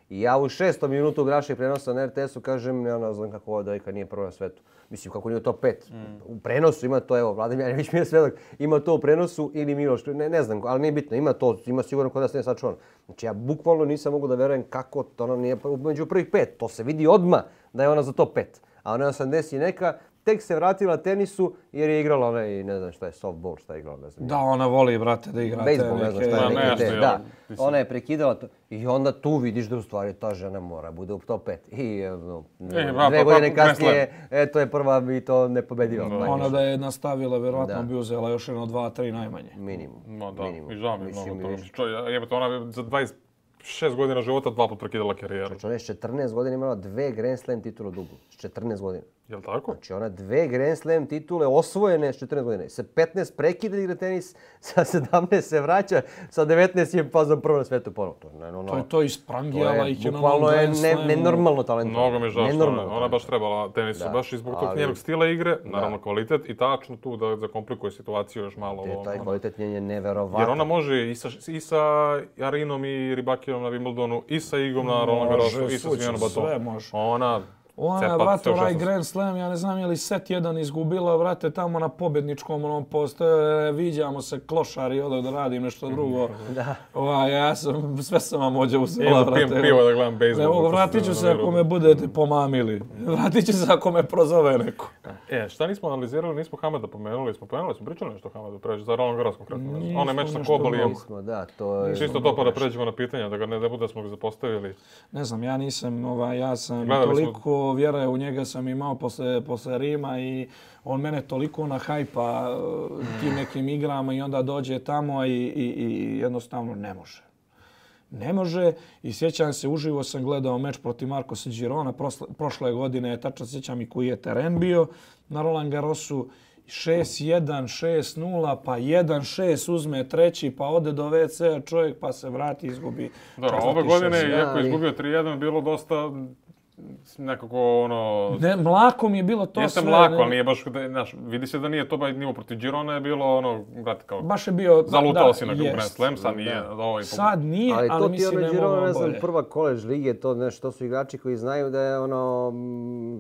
I ja u šestom minutu grašeg prenosa na R T S-u kažem, ja ne znam kako ova dojka nije prva na svetu. Mislim, kako nije u top pet. Mm. U prenosu ima to, evo, Vlada Mijanović mi je svedok, ima to u prenosu ili Miloš, ne, ne znam, ali nije bitno, ima to, ima sigurno kod nas nije sačuvan. Znači ja bukvalno nisam mogu da verujem kako to ona nije među prvih pet. To se vidi odmah da je ona za top pet. A ona osamdeset i neka, tek se vratila tenisu jer je igrala onaj, ne znam šta je, softball, šta je igrala, ne znam. Da, ona voli, brate, da igra te Bejsbol, ne znam šta je, neke... neke te, da. Ona je prekidala to i onda tu vidiš da u stvari ta žena mora bude u top pet. I no, e, dve godine kasnije, eto je prva bi to ne pobedila. No, ona da je nastavila, vjerojatno bi uzela još jedno dva, tri najmanje. Minimum. No, da, minimum. i žao mi je mnogo toga. Jebate, ona za dvadeset šest godina života dva put prekidala karijeru. Ona je s četrnaest godina imala dve Grand Slam titule u dublu. S četrnaest godina. Jel' tako? Znači ona dve Grand Slam titule osvojene s četrnaest godina. Sa petnaest prekida igra tenis, sa sedamnaest se vraća, sa devetnaest je fazom prvo na svetu ponovno. To, no, to je to isprangijala ih je na novom Grand Slamu. Bukvalno je nenormalno talentno. Mnogo mi je žao što ona, ona baš trebala tenisu, baš i zbog tog njenog stila igre, naravno kvalitet i tačno tu da zakomplikuje situaciju još malo. Te, taj kvalitet njen je neverovatan. Jer ona može i sa, i sa Arinom i Rybakijom na Wimbledonu, i sa Igom na Roland Garrosu, i sa Svijanom Batonom. Sve može. Ona... Ona, vrate, onaj Grand Slam, ja ne znam je li set jedan izgubila, vrate, tamo na pobjedničkom onom postoje, viđamo se klošari, odo da radim nešto drugo. Da. Ova, ja sam, sve sam vam ođe uzela, vrate. Pijem pivo da gledam bejsbol. Evo, vratit ću se ako me budete pomamili. Vratit ću se ako me prozove neko. E, šta nismo analizirali, nismo Hamada pomenuli, smo pomenuli, smo pričali nešto o Hamadu pređe, za Roland Garros konkretno. Onaj meč sa Kobalijem. Da, to je... Čisto to pa da pređemo na pitanja, da ga ne bude da smo ga zapostavili. Ne znam, ja nisam, ovaj, ja sam toliko vjera u njega sam imao posle, posle Rima i on mene toliko nahajpa tim nekim igrama i onda dođe tamo i, i, i jednostavno ne može. Ne može i sjećam se, uživo sam gledao meč protiv Marcosa Girona prošle godine, tačno sjećam i koji je teren bio na Roland Garrosu. šest jedan, šest nula, pa jedan šest uzme treći, pa ode do ve ce čovjek, pa se vrati i izgubi. Da, ove godine, iako je izgubio tri jedan, bilo dosta nekako ono... Ne, mlako mi je bilo to Jeste sve. Jeste mlako, ali nije baš, znaš, vidi se da nije to baš nivo protiv Girona, je bilo ono, brate, kao... Baš je bio... Zalutao da, si na Grand Slam, sad nije... Da. Ovaj, sad nije, ali, ali mislim ne Girona, mogu ne znam, bolje. prva koleđ lige, to, nešto, to su igrači koji znaju da je ono...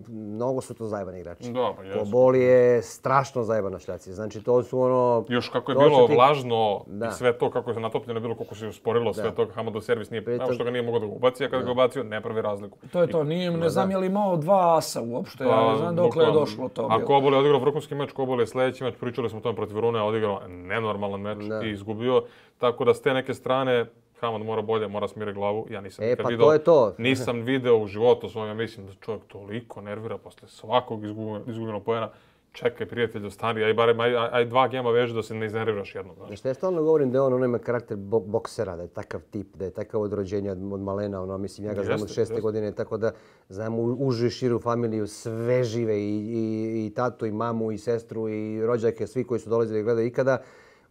Mnogo su to zajebani igrači. Da, pa jesu. Kobol je strašno zajeban na šljaci, znači to su ono... Još kako je bilo ti... vlažno da. I sve to, kako je natopljeno bilo, koliko se usporilo sve to, Hamadov servis nije... Pritom... što ga nije mogao da ga ubaci, a kada ga ubacio, ne pravi razliku. To je to, nije, ne znam je li imao dva asa uopšte, ja ne znam dokle je došlo to. A Kobol je odigrao vrhunski meč, Kobol je sljedeći meč, pričali smo o tome protiv Rune, odigrao nenormalan meč i izgubio. Tako da s te neke strane, Hamad mora bolje, mora smiriti glavu. Ja nisam e, nikad pa video, to je to. nisam video u životu svojom, ja mislim da čovjek toliko nervira posle svakog izgubljenog poena. Čekaj, prijatelju, stari, aj barem aj, aj dva gema veži da se ne iznerviraš jednom. Znači. Što ja stalno govorim da on, on ima karakter bo boksera, da je takav tip, da je takav od rođenja od malena, ono, mislim, ja ga znam od šeste godine, tako da znam užu i širu familiju, sve žive, i, i, i tatu, i mamu, i sestru, i rođake, svi koji su dolazili da gledaju ikada.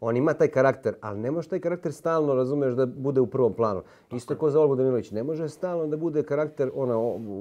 On ima taj karakter, ali ne može taj karakter stalno, razumeš, da bude u prvom planu. Isto kao za Olgu Danilović, ne može stalno da bude karakter ona,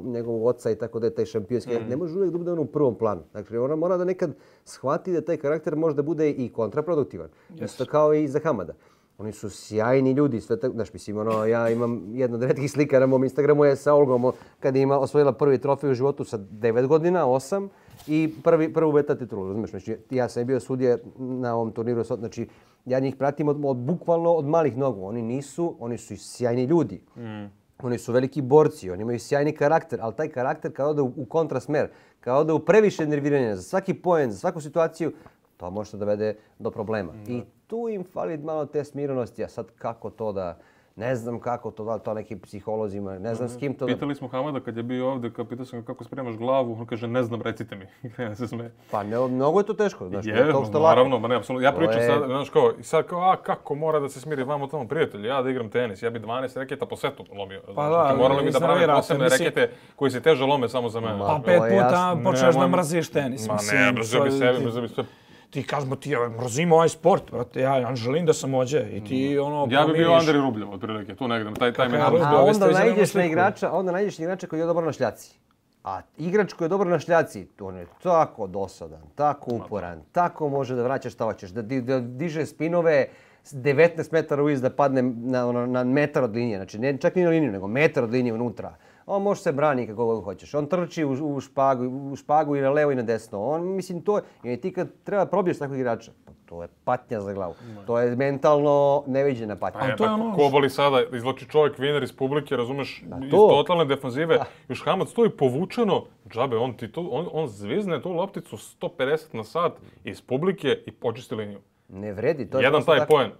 njegovog oca i tako da je taj šampionski. Mm. Ne može uvijek da bude on u prvom planu. Dakle, ona mora da nekad shvati da taj karakter može da bude i kontraproduktivan. Yes. Isto kao i za Hamada. Oni su sjajni ljudi, sve tako, znaš, mislim, ono, ja imam jedno od retkih slika na mom Instagramu je sa Olgom, kada je ima osvojila prvi trofej u životu sa devet godina, osam, i prvi, prvu beta titulu, razumiješ? Znači, ja sam bio sudija na ovom turniru, znači, ja njih pratim od, od, bukvalno od malih nogu. Oni nisu, oni su sjajni ljudi. Mm. Oni su veliki borci, oni imaju sjajni karakter, ali taj karakter kad ode u, u kontrasmer, kad ode u previše nerviranja za svaki poen, za svaku situaciju, to može da dovede do problema. Mm. I tu im fali malo te smirenosti, a sad kako to da... Ne znam kako to, da li to nekim psiholozima, ne znam s kim to... Pitali smo Hamada kad je bio ovdje, kad pitao sam ga kako spremaš glavu, on kaže ne znam, recite mi. Ja se sme. Pa ne, mnogo je to teško, znaš, je, ne to što naravno, lako. Ma ne, apsolutno. Ja pričam je... sad, znaš kao, i sad kao, a kako mora da se smiri vamo tamo prijatelji, ja da igram tenis, ja bi dvanaest reketa po setu lomio. Pa da, morali bi da prave posebne misli... rekete koji se teže lome samo za mene. Pa pet puta počneš da mrziš tenis. Ma ne, mrzio bi sebi, mrzio bi sve. Ti kažemo ti, ja mrzim ovaj sport, brate, ja Anželin da sam ođe i ti ono... Ja bi bio Andri Rubljev, otprilike, tu negdje, taj, taj mental. A onda nađeš na igrača, onda nađeš na igrača koji je dobar na šljaci. A igrač koji je dobar na šljaci, on je tako dosadan, tako uporan, tako može da vraća šta hoćeš, da, da diže spinove devetnaest metara uviz da padne na, ono, na metar od linije, znači ne čak ni na liniju, nego metar od linije unutra. On može se brani kako god hoćeš. On trči u, u, špagu, u špagu i na levo i na desno. On, mislim, to je, ti kad treba probiješ takvog igrača, pa to je patnja za glavu. No. To je mentalno neviđena patnja. Pa je, to je ono... Ko boli sada, izloči čovjek viner iz publike, razumeš, iz totalne defanzive. Da. Još Hamad stoji povučeno, džabe, on, ti to, on, on zvizne tu lopticu sto pedeset na sat iz publike i počisti liniju. Ne vredi. To je jedan taj tako... poen.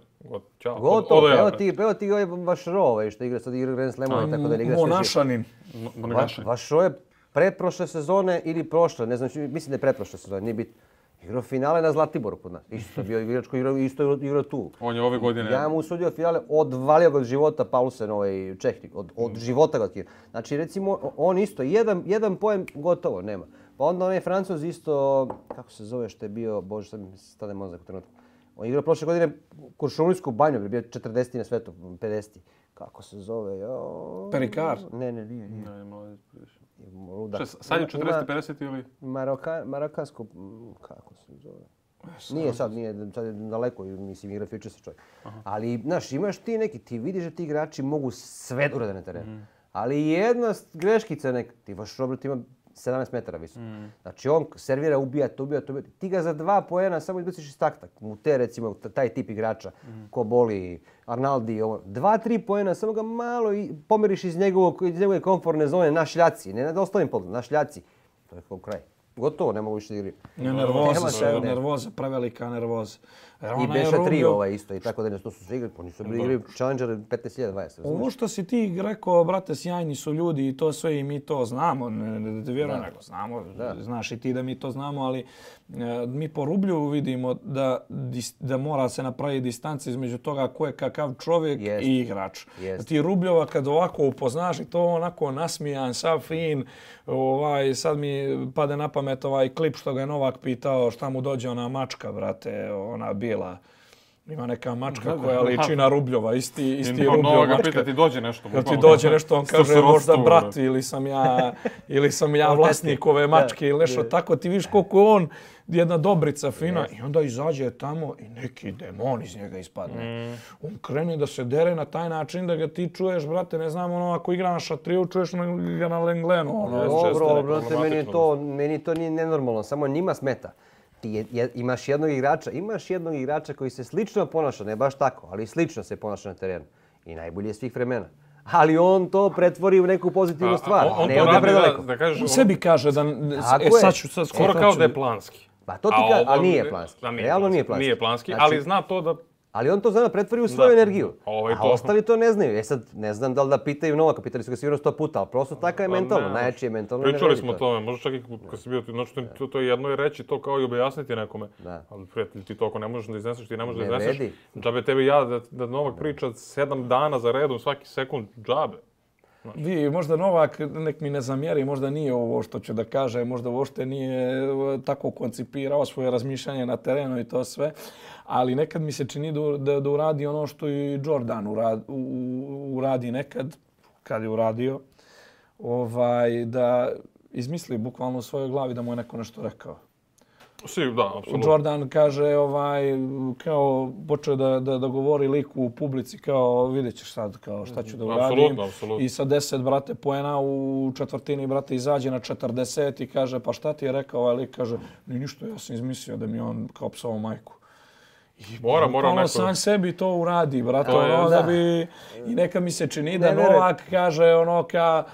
Ćao. Gotovo, evo ti, evo ti ovaj Vašro, ovaj što igra sad igra Grand Slamove, tako da ne igra sve. Monašanin. Vašro je pretprošle sezone ili prošle, ne znam, mislim da je pretprošle sezone, nije bitno. Igrao finale na Zlatiboru kod nas. Isto bio igrač koji igrao, isto igrao tu. On je ove godine... Ja mu usudio finale, odvalio ga od života Paulsen, ovaj Čehnik, od, od života ga otkrio. Znači, recimo, on isto, jedan, jedan poen gotovo, nema. Pa onda onaj Francuz isto, kako se zove što je bio, bože, sad mi stane mozak u trenutku. On igrao prošle godine Kuršumlijsku banju, bio četrdeseti na svetu, pedeseti. Kako se zove? Jo... Perikar? Ne, ne, nije. nije. Ne, mladi priš. Luda. Sad je četrdeset pedeset ili? Maroka, marokansko, kako se zove? Nije sad, nije, sad je daleko, mislim, igra Futures čovjek. Ali, znaš, imaš ti neki, ti vidiš da ti igrači mogu sve da urade na terenu. Mm. Ali jedna greškica neka, ti vaš Robert ima sedamnaest metara visoko. Mm. Znači on servira, ubija, to ubija, to ubija. Ti ga za dva poena samo izbaciš iz takta. U te, recimo, taj tip igrača, mm. ko boli, Arnaldi, ovo. Dva, tri poena, samo ga malo i pomeriš iz, njegovog, iz njegove komfortne zone na šljaci. Ne na ostalim polu, na šljaci. To je kao kraj. Gotovo, ne mogu više da igri. Ne, nervoza, sve, nervoza, prevelika nervoza. I Beša tri ovaj isto, i tako da to su sve igri, pa nisu bili igri Challenger petnaest hiljada dvadeset. Ovo što si ti rekao, brate, sjajni su ljudi i to sve i mi to znamo, ne, ne da te vjerujem, nego znamo, da. Znaš i ti da mi to znamo, ali e, mi po Rublju vidimo da, da mora se napraviti distanca između toga ko je kakav čovjek yes. i igrač. Yes. Ti Rubljova kad ovako upoznaš i to onako nasmijan, sav fin, ovaj, sad mi pade na pamet ovaj klip što ga je Novak pitao šta mu dođe ona mačka, brate, ona bila. Ima neka mačka koja liči na Rubljova, isti, isti Rubljova mačka. Pita ti dođe nešto. Kad ti dođe nešto, on kaže možda brat ili sam ja, ili sam ja vlasnik ove mačke ili nešto tako. Ti vidiš koliko je on jedna dobrica fina i onda izađe tamo i neki demon iz njega ispadne. On krene da se dere na taj način da ga ti čuješ, brate, ne znam, ono, ako igra na šatriju, čuješ ga na Lenglenu. Dobro, brate, meni to, meni to nije nenormalno, samo njima smeta. Ti je, je, imaš jednog igrača, imaš jednog igrača koji se slično ponaša, ne baš tako, ali slično se ponaša na terenu. I najbolji je svih vremena. Ali on to pretvori u neku pozitivnu stvar. On, on ne to ode predaleko. Da, da kažeš, on sebi kaže da... E, sad ću, sad skoro kao da je planski. Pa to ti kaže, ali nije planski. Realno nije planski. Nije planski, znači, ali zna to da... Ali on to zna da pretvori u svoju da, energiju. Ovaj a to. Ostali to ne znaju. E sad, ne znam da li da pitaju Novaka, pitali su ga sigurno sto puta, ali prosto taka je mentalno, najjači je mentalno. Pričali smo o tome, možda čak i kad si bio, znači to, to je jedno je reći to kao i objasniti nekome. Da. Ali prijatelj, ti to ako ne možeš da izneseš, ti ne možeš da izneseš. Džabe tebi ja da, da Novak priča sedam dana za redom, svaki sekund, džabe. Vi, možda Novak, nek mi ne zamjeri, možda nije ovo što ću da kaže, možda uopšte nije tako koncipirao svoje razmišljanje na terenu i to sve, ali nekad mi se čini da, da, da uradi ono što i Jordan uradi, uradi nekad, kad je uradio, ovaj, da izmisli bukvalno u svojoj glavi da mu je neko nešto rekao. Si, da, apsolutno. Jordan kaže, ovaj, kao, počeo da, da, da govori liku u publici, kao, vidjet ćeš sad, kao, šta ću da uradim. Apsolutno, apsolutno. I sa deset, brate, poena u četvrtini, brate, izađe na četrdeset i kaže, pa šta ti je rekao ovaj lik? Kaže, ni ništa, ja sam izmislio da mi on kao psovao majku. Mora, mora ono neko... sam sebi to uradi, brate, To je, ono da. da bi... I neka mi se čini da Ne verujem. Novak kaže ono ka...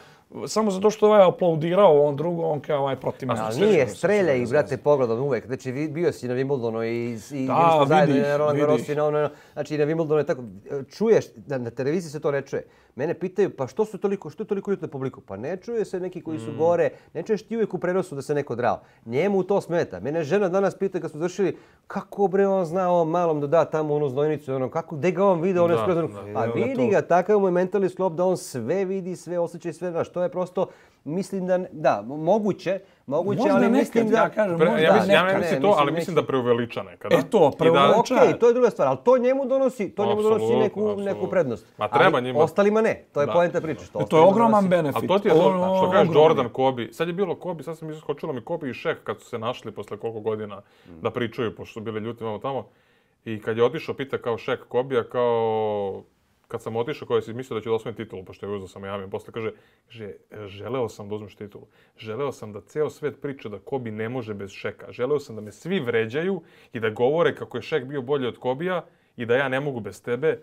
Samo zato što ovaj aplaudirao on drugo, on kao ovaj protiv mene. Ali nije, strelja ih, brate, pogledom uvek. Znači, vi- bio si na Wimbledonu i, i Da, bili smo zajedno i vidi na ih, Roland vidi Garrosu i ih. na ono, znači i na Wimbledonu je tako. Čuješ, na, na televiziji se to ne čuje. Mene pitaju, pa što su toliko, što je toliko ljudi na publiku? Pa ne čuje se neki koji su gore, ne čuješ ti uvijek u prenosu da se neko drao. Njemu to smeta. Mene žena danas pita kad smo završili, kako bre on zna ovom malom da da tamo onu znojnicu, ono, kako, gde ga on vide, ono Da, skroz, da. a Evo ga vidi to. ga, takav mu je mentalni sklop da on sve vidi, sve osjeća i sve znaš. To je prosto, mislim da, ne- da, moguće, moguće, Možda ali nekad, mislim da... ja kažem, Pre, možda ja mislim, ja nekad. ne mislim Ne, to, mislim ali mislim da neki- preuveliča nekada. E to, I da- preuveliča. Okej, to je druga stvar, ali to njemu donosi, to njemu donosi Apsolutno, neku, neku apsolutno. prednost. Ma treba Ali njima. ostalima ne, to je Da. poenta priče. Što To je ostalima ogroman donosi. benefit. Ali to ti je to, Ono, što kažeš ogromni. Jordan, Kobe. Sad je bilo Kobe, sad sam iskočilo mi Kobe i Shaq kad su se našli posle koliko godina da pričaju, pošto su bili ljuti vamo tamo. I kad je otišao, pita kao Shaq Kobija, kao... Kad sam otišao, koji si mislio da će da osvoji titulu, pošto je uzeo sa Miami, posle kaže, kaže, želeo sam da uzmeš titulu. Želeo sam da ceo svet priča da Kobe ne može bez Shaqa. Želeo sam da me svi vređaju i da govore kako je Shaq bio bolji od Kobija i da ja ne mogu bez tebe.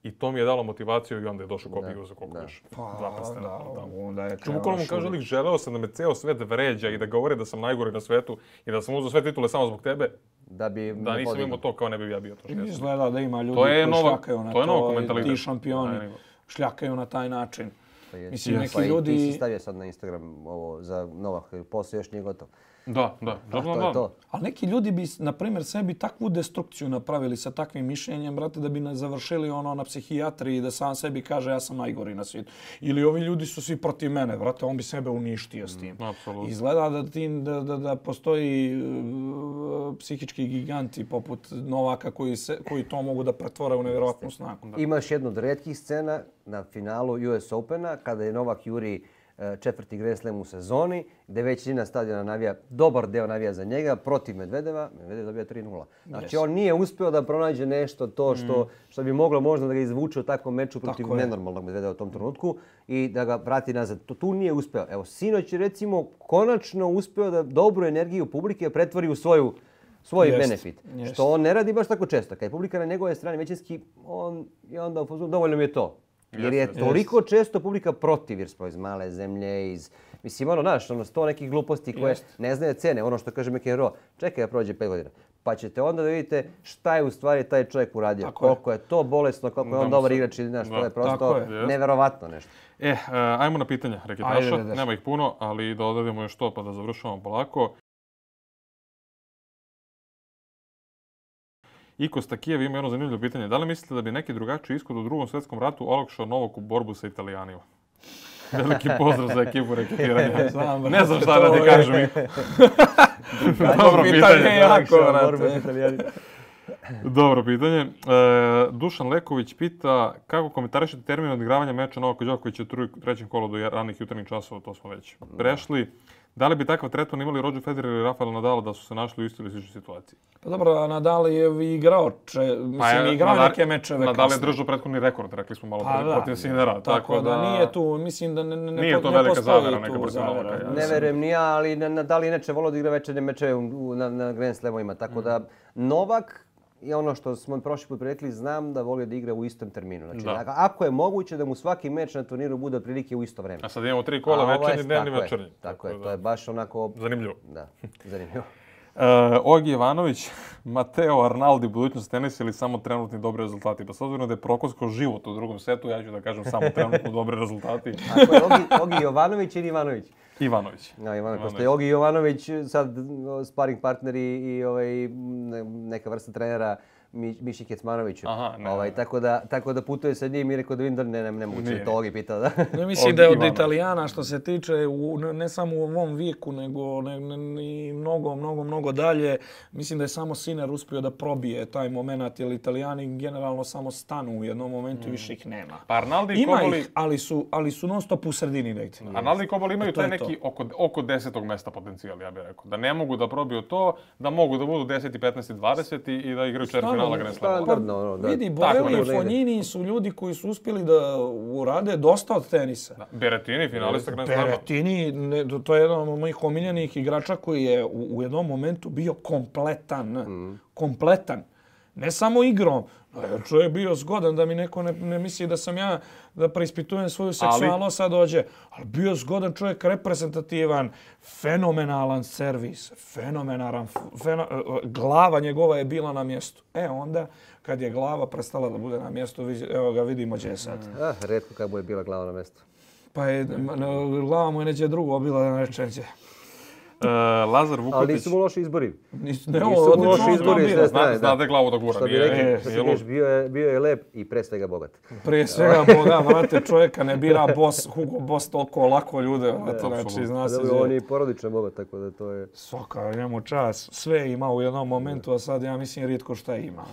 I to mi je dalo motivaciju i onda je došao Kobe i uzeo koliko još. Dva prstena. Da, onda je Što bukvalno mu kaže lik, želeo sam da me ceo svet vređa i da govore da sam najgori na svetu i da sam uzeo sve titule samo zbog tebe, Da bi da me nisam podigao. imao to kao ne bi ja bio to što jesam. Izgleda da ima ljudi To je koji nova- šljakaju na to je to, novo i mentalitet. ti šampioni Da, ima. šljakaju na taj način. Pa je. Mislim, neki Pa i ljudi... ti si stavio sad na Instagram ovo za Novak, posao još nije gotov. Da, da, A Jordan to je da. to. Ali neki ljudi bi, na primjer, sebi takvu destrukciju napravili sa takvim mišljenjem, brate, da bi nas završili ono na psihijatriji da sam sebi kaže ja sam najgori na svijetu. Ili ovi ljudi su svi protiv mene, brate, on bi sebe uništio s tim. Apsolutno. Izgleda da, ti, da, da, da postoji uh, psihički giganti poput Novaka koji, se, koji to mogu da pretvore u nevjerojatnu snagu. Imaš jednu od retkih scena na finalu U S Opena kada je Novak juri e, četvrti Grand Slam u sezoni, gdje većina stadiona navija, dobar deo navija za njega, protiv Medvedeva. Medvedev dobija tri nula. Znači on nije uspio da pronađe nešto to što, što bi moglo možda da ga izvuče u takvom meču protiv Tako je. nenormalnog Medvedeva u tom trenutku i da ga vrati nazad. To tu nije uspeo. Evo, sinoć je recimo konačno uspeo da dobru energiju publike pretvori u svoju svoj Jest, benefit. jest. Što on ne radi baš tako često. Kad je publika na njegove strane većinski, on je onda u fazonu, dovoljno mi je to. Jer je Jest, jest. toliko često publika protiv, jer smo iz male zemlje, iz... Mislim, ono, znaš, ono, sto nekih gluposti koje Jest. ne znaju cene. Ono što kaže McEnroe, čekaj da prođe pet godina. Pa ćete onda da vidite šta je u stvari taj čovjek uradio. Tako je. Koliko je to bolesno, koliko je Da on mu dobar se- igrač. ili, Znaš, da. to je Tako prosto je. neverovatno nešto. E, e, ajmo na pitanja reketaša. Ajde, ajde. Nema ih puno, ali da odradimo još to pa da završavamo polako. Iko Stakijev ima jedno zanimljivo pitanje. Da li mislite da bi neki drugačiji ishod u drugom svjetskom ratu olakšao Novaku borbu sa Italijanima? Veliki pozdrav za ekipu reketiranja. Znam, Ne znam brate, šta da to ti je- kažem. Dobro pitanje. jako, Borba brate. s Italijanima. Dobro pitanje. E, Dušan Leković pita kako komentarišete termin odigravanja meča Novaka Đokovića u tru- trećem kolu do ranih jutarnjih časova, to smo već prešli. Da li bi takav tretman imali Roger Federer i Rafael Nadal da su se našli u istoj ili sličnoj situaciji? Pa dobro, Nadal je igrao, če, mislim, je igrao Nadal- neke mečeve Nadal je kasnije. držao prethodni rekord, rekli smo malo Pa pre, da. protiv Sinera. Tako, da, nije tu, mislim da ne, ne, ne, Nije po- to ne velika postoji zavera tu neka protiv zavera. Novaka, ja. Ne verujem ni ja, ali Nadal inače volio da igra večerne mečeve u- na, na Grand Slamovima. Tako da Novak je ono što smo prošli put rekli, znam da volio da igra u istom terminu. Znači, Da. ako- ako je moguće da mu svaki meč na turniru bude otprilike u isto vreme. A sad imamo tri kola, A ovo je- večernji, dnevni, tako je, večernji. Tako je, da. to je baš onako, Zanimljivo. da, zanimljivo. E, Ogi Ivanović, Mateo Arnaldi, budućnost tenisa ili samo trenutni dobri rezultati? Pa s obzirom da je prokoskao život u drugom setu, ja ću da kažem samo trenutno dobri rezultati. Ako je Ogi, Ogi Jovanović ili Ivanović? Ivanović. Ja, Ivanović, pošto je Ogi Jovanović sad o, sparing partner i, i ovaj, ne- neka vrsta trenera Mi, Miši Kecmanoviću. Aha, ne, ovaj, ne. tako, da, tako da putuje sa njim i rekao da vidim da ne, ne, ne mogu Nije. će to Ogi pitao. Da. Ne mislim Od da je od Ivanovića. Italijana što se tiče u, ne, ne samo u ovom vijeku, nego ne, ne, i mnogo, mnogo, mnogo dalje. Mislim da je samo Sinner uspio da probije taj moment, jer Italijani generalno samo stanu u jednom momentu i više ih nema. Pa Arnaldi i Ima Koboli, ih, ali su, ali su non stop u sredini negdje. Arnaldi i Koboli imaju E, to taj je to. neki oko, oko desetog mesta potencijal, ja bih rekao. Da ne mogu da probiju to, da mogu da budu deseti, petnaesti, dvadeseti i da igraju četvrtfinala Grand Slama. Standardno, ono, da. Vidi, Tako Borelli je. i Fognini su ljudi koji su uspjeli da urade dosta od tenisa. Da. Berettini, finalista Grand Slama. Berettini, ne, to je jedan od mojih omiljenih igrača koji je u, u jednom momentu bio kompletan. Kompletan. Ne samo igrom. Čovjek je bio zgodan da mi neko ne, ne misli da sam ja da preispitujem svoju seksualnost, sad dođe. Ali bio zgodan čovjek, reprezentativan, fenomenalan servis, fenomenalan, feno, glava njegova je bila na mjestu. E onda, kad je glava prestala da bude na mjestu, evo ga vidimo gdje je sad. Ah, retko kad mu je bila glava na mjestu. Pa je, glava mu je neđe drugo bila da ne reče neđe. Uh, Lazar Vukotić. Ali nisu mu loši izbori. Nisu, ne, nisu mu loši izbori. Zna, zna, zna da je glavu da gura. Što bi nije, rekli, nije, što nije kažeš, bio, je, bio je lep i pre svega bogat. Prije svega Boga, vrate, čovjeka ne bira boss, Hugo Boss toliko lako ljude. Vrate, znači, zna se Dobro, on je i porodično bogat, tako da to je... Svaka, njemu čas. Sve ima u jednom momentu, a sad ja mislim rijetko šta ima.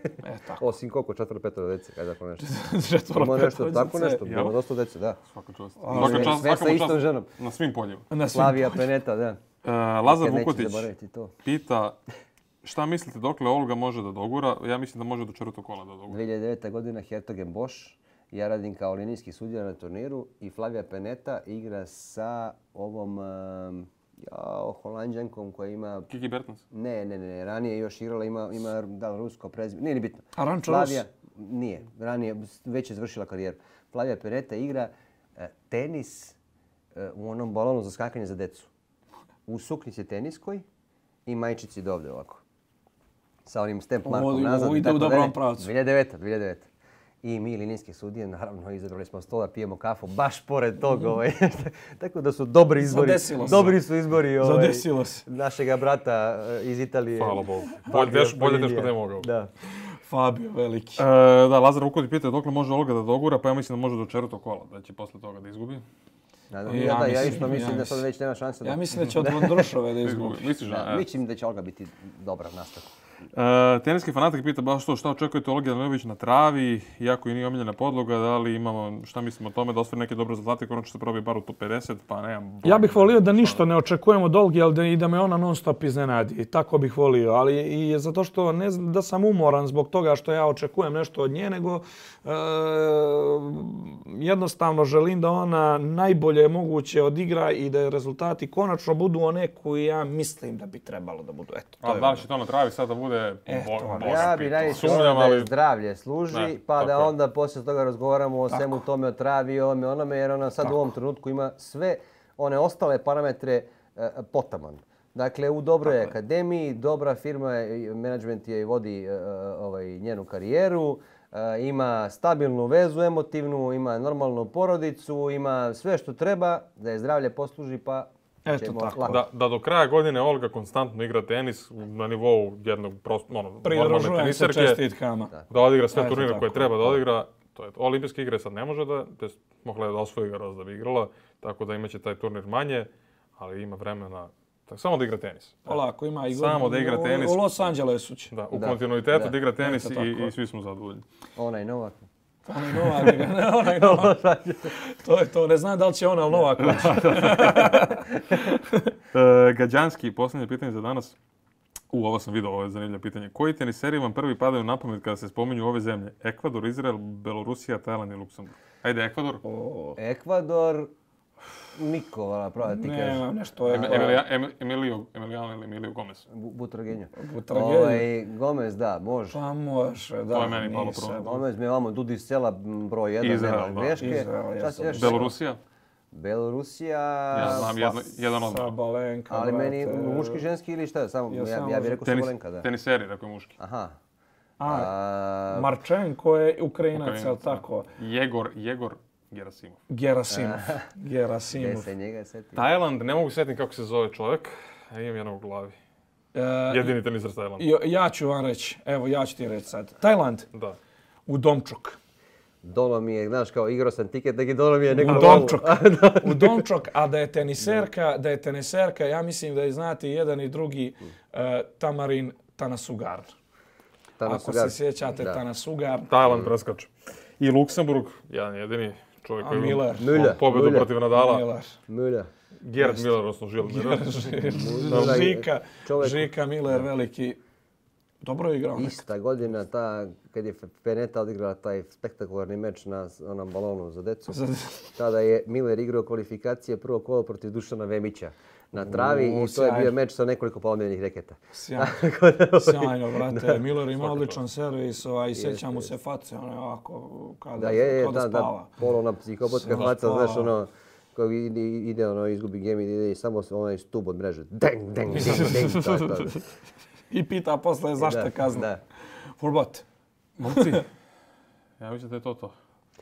E, tako. Osim koliko, četvro, petoro dece, kaj tako nešto. Četvoro, Ima nešto, petoro tako djece. nešto, ima dosta dece, da. Svaka čast. Ali- Svaka čast, Sve sa svaka mu istom čast ženom. na svim poljima. Na svim Slavija Peneta, da. Uh, Lazar Nikad neće Vukotić zaboraviti to. pita šta mislite dokle Olga može da dogura? Ja mislim da može do četvrtog kola da dogura. dvije hiljade devete. godina Hertogen Bosch. Ja radim kao linijski sudija na turniru i Flavija Peneta igra sa ovom um, jao, Holanđankom koja ima... Kiki Bertens. Ne, ne, ne, ranije još igrala, ima, ima da li rusko prezime, nije ni bitno. Arančo Flavija, nije, ranije, već je završila karijeru. Flavija Peneta igra eh, tenis eh, u onom balonu za skakanje za decu. U suknici teniskoj i majčici dovde ovako. Sa onim step markom Ovo- nazad. ovo i ide u tako dobrom dalje. pravcu. dvije hiljade devete. dvije hiljade devete. I mi, linijski sudije, naravno, izabrali smo stola, pijemo kafu, baš pored toga. Ovaj. Tako da su dobri izbori. Zadesilo se. Dobri su izbori ovaj, Zadesilo se. našega brata eh, iz Italije. Hvala Bogu. Bolje teško, bolje teško da je mogao. Da. Fabio veliki. E, da, Lazar Vukotić pita dokle može Olga da dogura, pa ja mislim da može do četvrtog kola, da će posle toga da izgubi. Nadam, Ja ja, da, ja mislim- isto mislim ja da sad mislim. već nema šanse. Da... Ja mislim da će od Vondrušove da izgubi. Misliš da? Da, E. mislim da će Olga biti dobra nastavka. E, teniski fanatik pita baš to, šta očekujete Olgi Daniljević na travi, iako i nije omiljena podloga, da li imamo, šta mislimo o tome, da ostvari neke dobre rezultate, konačno se probi bar u top pedeset, pa nemam... Ja bih volio da ništa ne očekujemo od Olgi, ali da, i da me ona non stop iznenadi. Tako bih volio, ali i zato što ne znam da sam umoran zbog toga što ja očekujem nešto od nje, nego e, jednostavno želim da ona najbolje moguće odigra i da rezultati konačno budu one koje ja mislim da bi trebalo da budu. Eto, to A je da li ono. će to na travi sad da bude... E, bo- to, Boga Ja bi pitaj. najviše Sumnjam, volio da ali- je zdravlje služi, Ne, pa tako da je. onda poslije toga razgovaramo o svemu tome, o travi, o ovome, onome, jer ona sad u ovom trenutku ima sve one ostale parametre e, potaman. Dakle, u dobroj Tako je. akademiji, dobra firma, je, menadžment je i vodi e, ovaj, njenu karijeru, e, ima stabilnu vezu emotivnu, ima normalnu porodicu, ima sve što treba da je zdravlje posluži, pa Eto ćemo tako. lako. Da, da do kraja godine Olga konstantno igra tenis na nivou jednog prost, ono, normalne Pridružujem se teniserke, čestitkama. da odigra sve Eto turnire tako. koje treba da odigra. To je, olimpijske igre sad ne može da, to jest mogla je da osvoji ga raz da bi igrala, tako da imaće taj turnir manje, ali ima vremena tak, samo da igra tenis. Polako, ima i Samo da igra u- tenis. U Los Angelesu će. Da, u Da, kontinuitetu da. da igra tenis Eto i, tako. i svi smo zadovoljni. Onaj Novak. Onaj Novak, ne, onaj Novak. To je to, ne znam da li će ona, ali Novak hoće. E, Gađanski, posljednje pitanje za danas. U, ovo sam vidio, ovo je zanimljivo pitanje. Koji teniseri vam prvi padaju na pamet kada se spominju ove zemlje? Ekvador, Izrael, Belorusija, Tajland i Luksemburg. Ajde, Ekvador. O, Ekvador, niko, vala, pravo da ti kažeš. ne, nešto je. Em- Emilija- Em- Emilio, Emiliano ili Emilio Gomez. Bu- Butragenja. Butragenja. Ovaj, Gomez, da, može. Pa može, da. To je meni malo nisam. problem. Gomez mi je vamo Dudi iz sela m, broj jedan, Izrael, nema da. greške. Izrael, Šta si jesam. još? Belorusija. Belorusija. Ja znam jedno, jedan od... Sabalenka, Ali meni brate. muški, ženski ili šta? Samo, Ja ja, samo ja bih rekao Tenis, Sabalenka, da. teniseri, rekao je muški. Aha. A, A, Marčenko je Ukrajinac, Ukrajinac, jel da. tako? Jegor, Jegor Gerasimov. Gerasimov. gdje Gerasimov. se njega seti? Tajland, ne mogu sjetiti kako se zove čovjek. A imam jednog u glavi. E, Jedini teniser s Tajlanda. jo- ja ću vam reći, evo ja ću ti reći sad. Tajland, Da. u Domčok. Dolo mi je, znaš, kao igrao sam tiket, neki dolo mi je neko U lovu. Domčok. U Domčok, a da je teniserka, da je teniserka, ja mislim da je znati jedan i drugi e, Tamarin Tanasugar. Tamo Ako su ga- se sjećate da. Tanasugar. Tajland preskače. I Luksemburg, jedan jedini čovjek A koji Miller. Miller. pobedu Miller. protiv Nadala. Miller. Mulja. Gerd Miller, odnosno Žil Miller. Miller. Žika, Čovjek- Žika Miller, veliki. Dobro je igrao. Ista godina, ta, kad je Peneta odigrala taj spektakularni meč na onom balonu za decu, tada je Miller igrao kvalifikacije prvo kolo protiv Dušana Vemića. na travi U, i to je bio sjajno. meč sa nekoliko polomljenih reketa. Sjajno, sjajno, brate. Miller ima odličan servis, ovaj, i sjeća mu se face, ono je ovako, kada, Da, je, je, kada da, spava. da, polovna psihopatka Sve faca, spava. znaš, ono, kao ide, ide ono, izgubi game, ide i samo onaj stub od mreže. Deng, deng, deng, deng, to je to. I pita posle zašto Da, kazna. da. Furbat. Momci, ja mislim da je to to.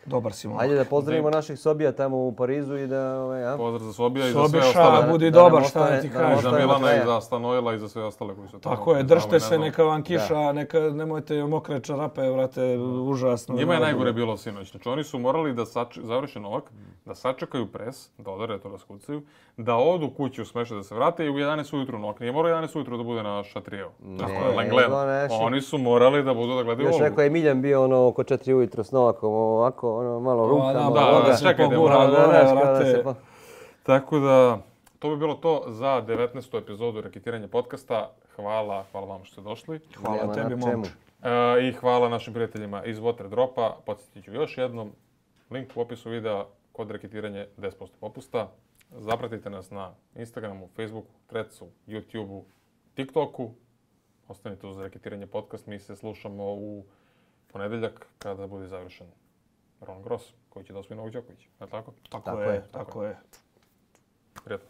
Dobar si momak. Ajde da pozdravimo naših Sobija tamo u Parizu i da, ovaj, a? Pozdrav za Sobija i za sve Sobiša, ostale. budi da nam dobar, šta ostane- da ti da nam I kažem. za ostane do Milana i kraja. za Stanoila i za sve ostale koji su tamo. Tako je, Ne znamo i držite ne se, znamo. neka vam kiša, neka, nemojte mokre čarape, vrate, užasno. Njima je najgore bilo sinoć. Znači oni su morali da sač... završe Novak, da sačekaju pres, da odare to raskucaju, da odu kući u Smeše da se vrate i u jedanaest ujutru Novak. Nije morao jedanaest ujutru da bude na Šatrijevu. Tako je, nego Lenglenu. naši- Oni su morali da budu da gledaju Još Olgu. rekao je Miljan bio ono oko četiri ujutro s Novakom, ovako, ono, malo ruka, da, malo da, noga. da, čekaj, da pogura mora- gore, Znaš, kao da vrate. se pa- Tako da, to bi bilo to za devetnaestu epizodu Reketiranje podcasta. Hvala, hvala vam što ste došli. Hvala Nema tebi, na čemu. momče. E, I hvala našim prijateljima iz Water Dropa. Podsjetit ću još jednom, link u opisu videa, kod reketiranje deset posto popusta. Zapratite nas na Instagramu, Facebooku, Threadsu, YouTubeu, TikToku. Ostanite uz Reketiranje podcast. Mi se slušamo u ponedeljak kada bude završen Roland Garros, koji će da osvoji Novak Đoković. Je li tako? Tako Tako je, je, tako je. Prijatno.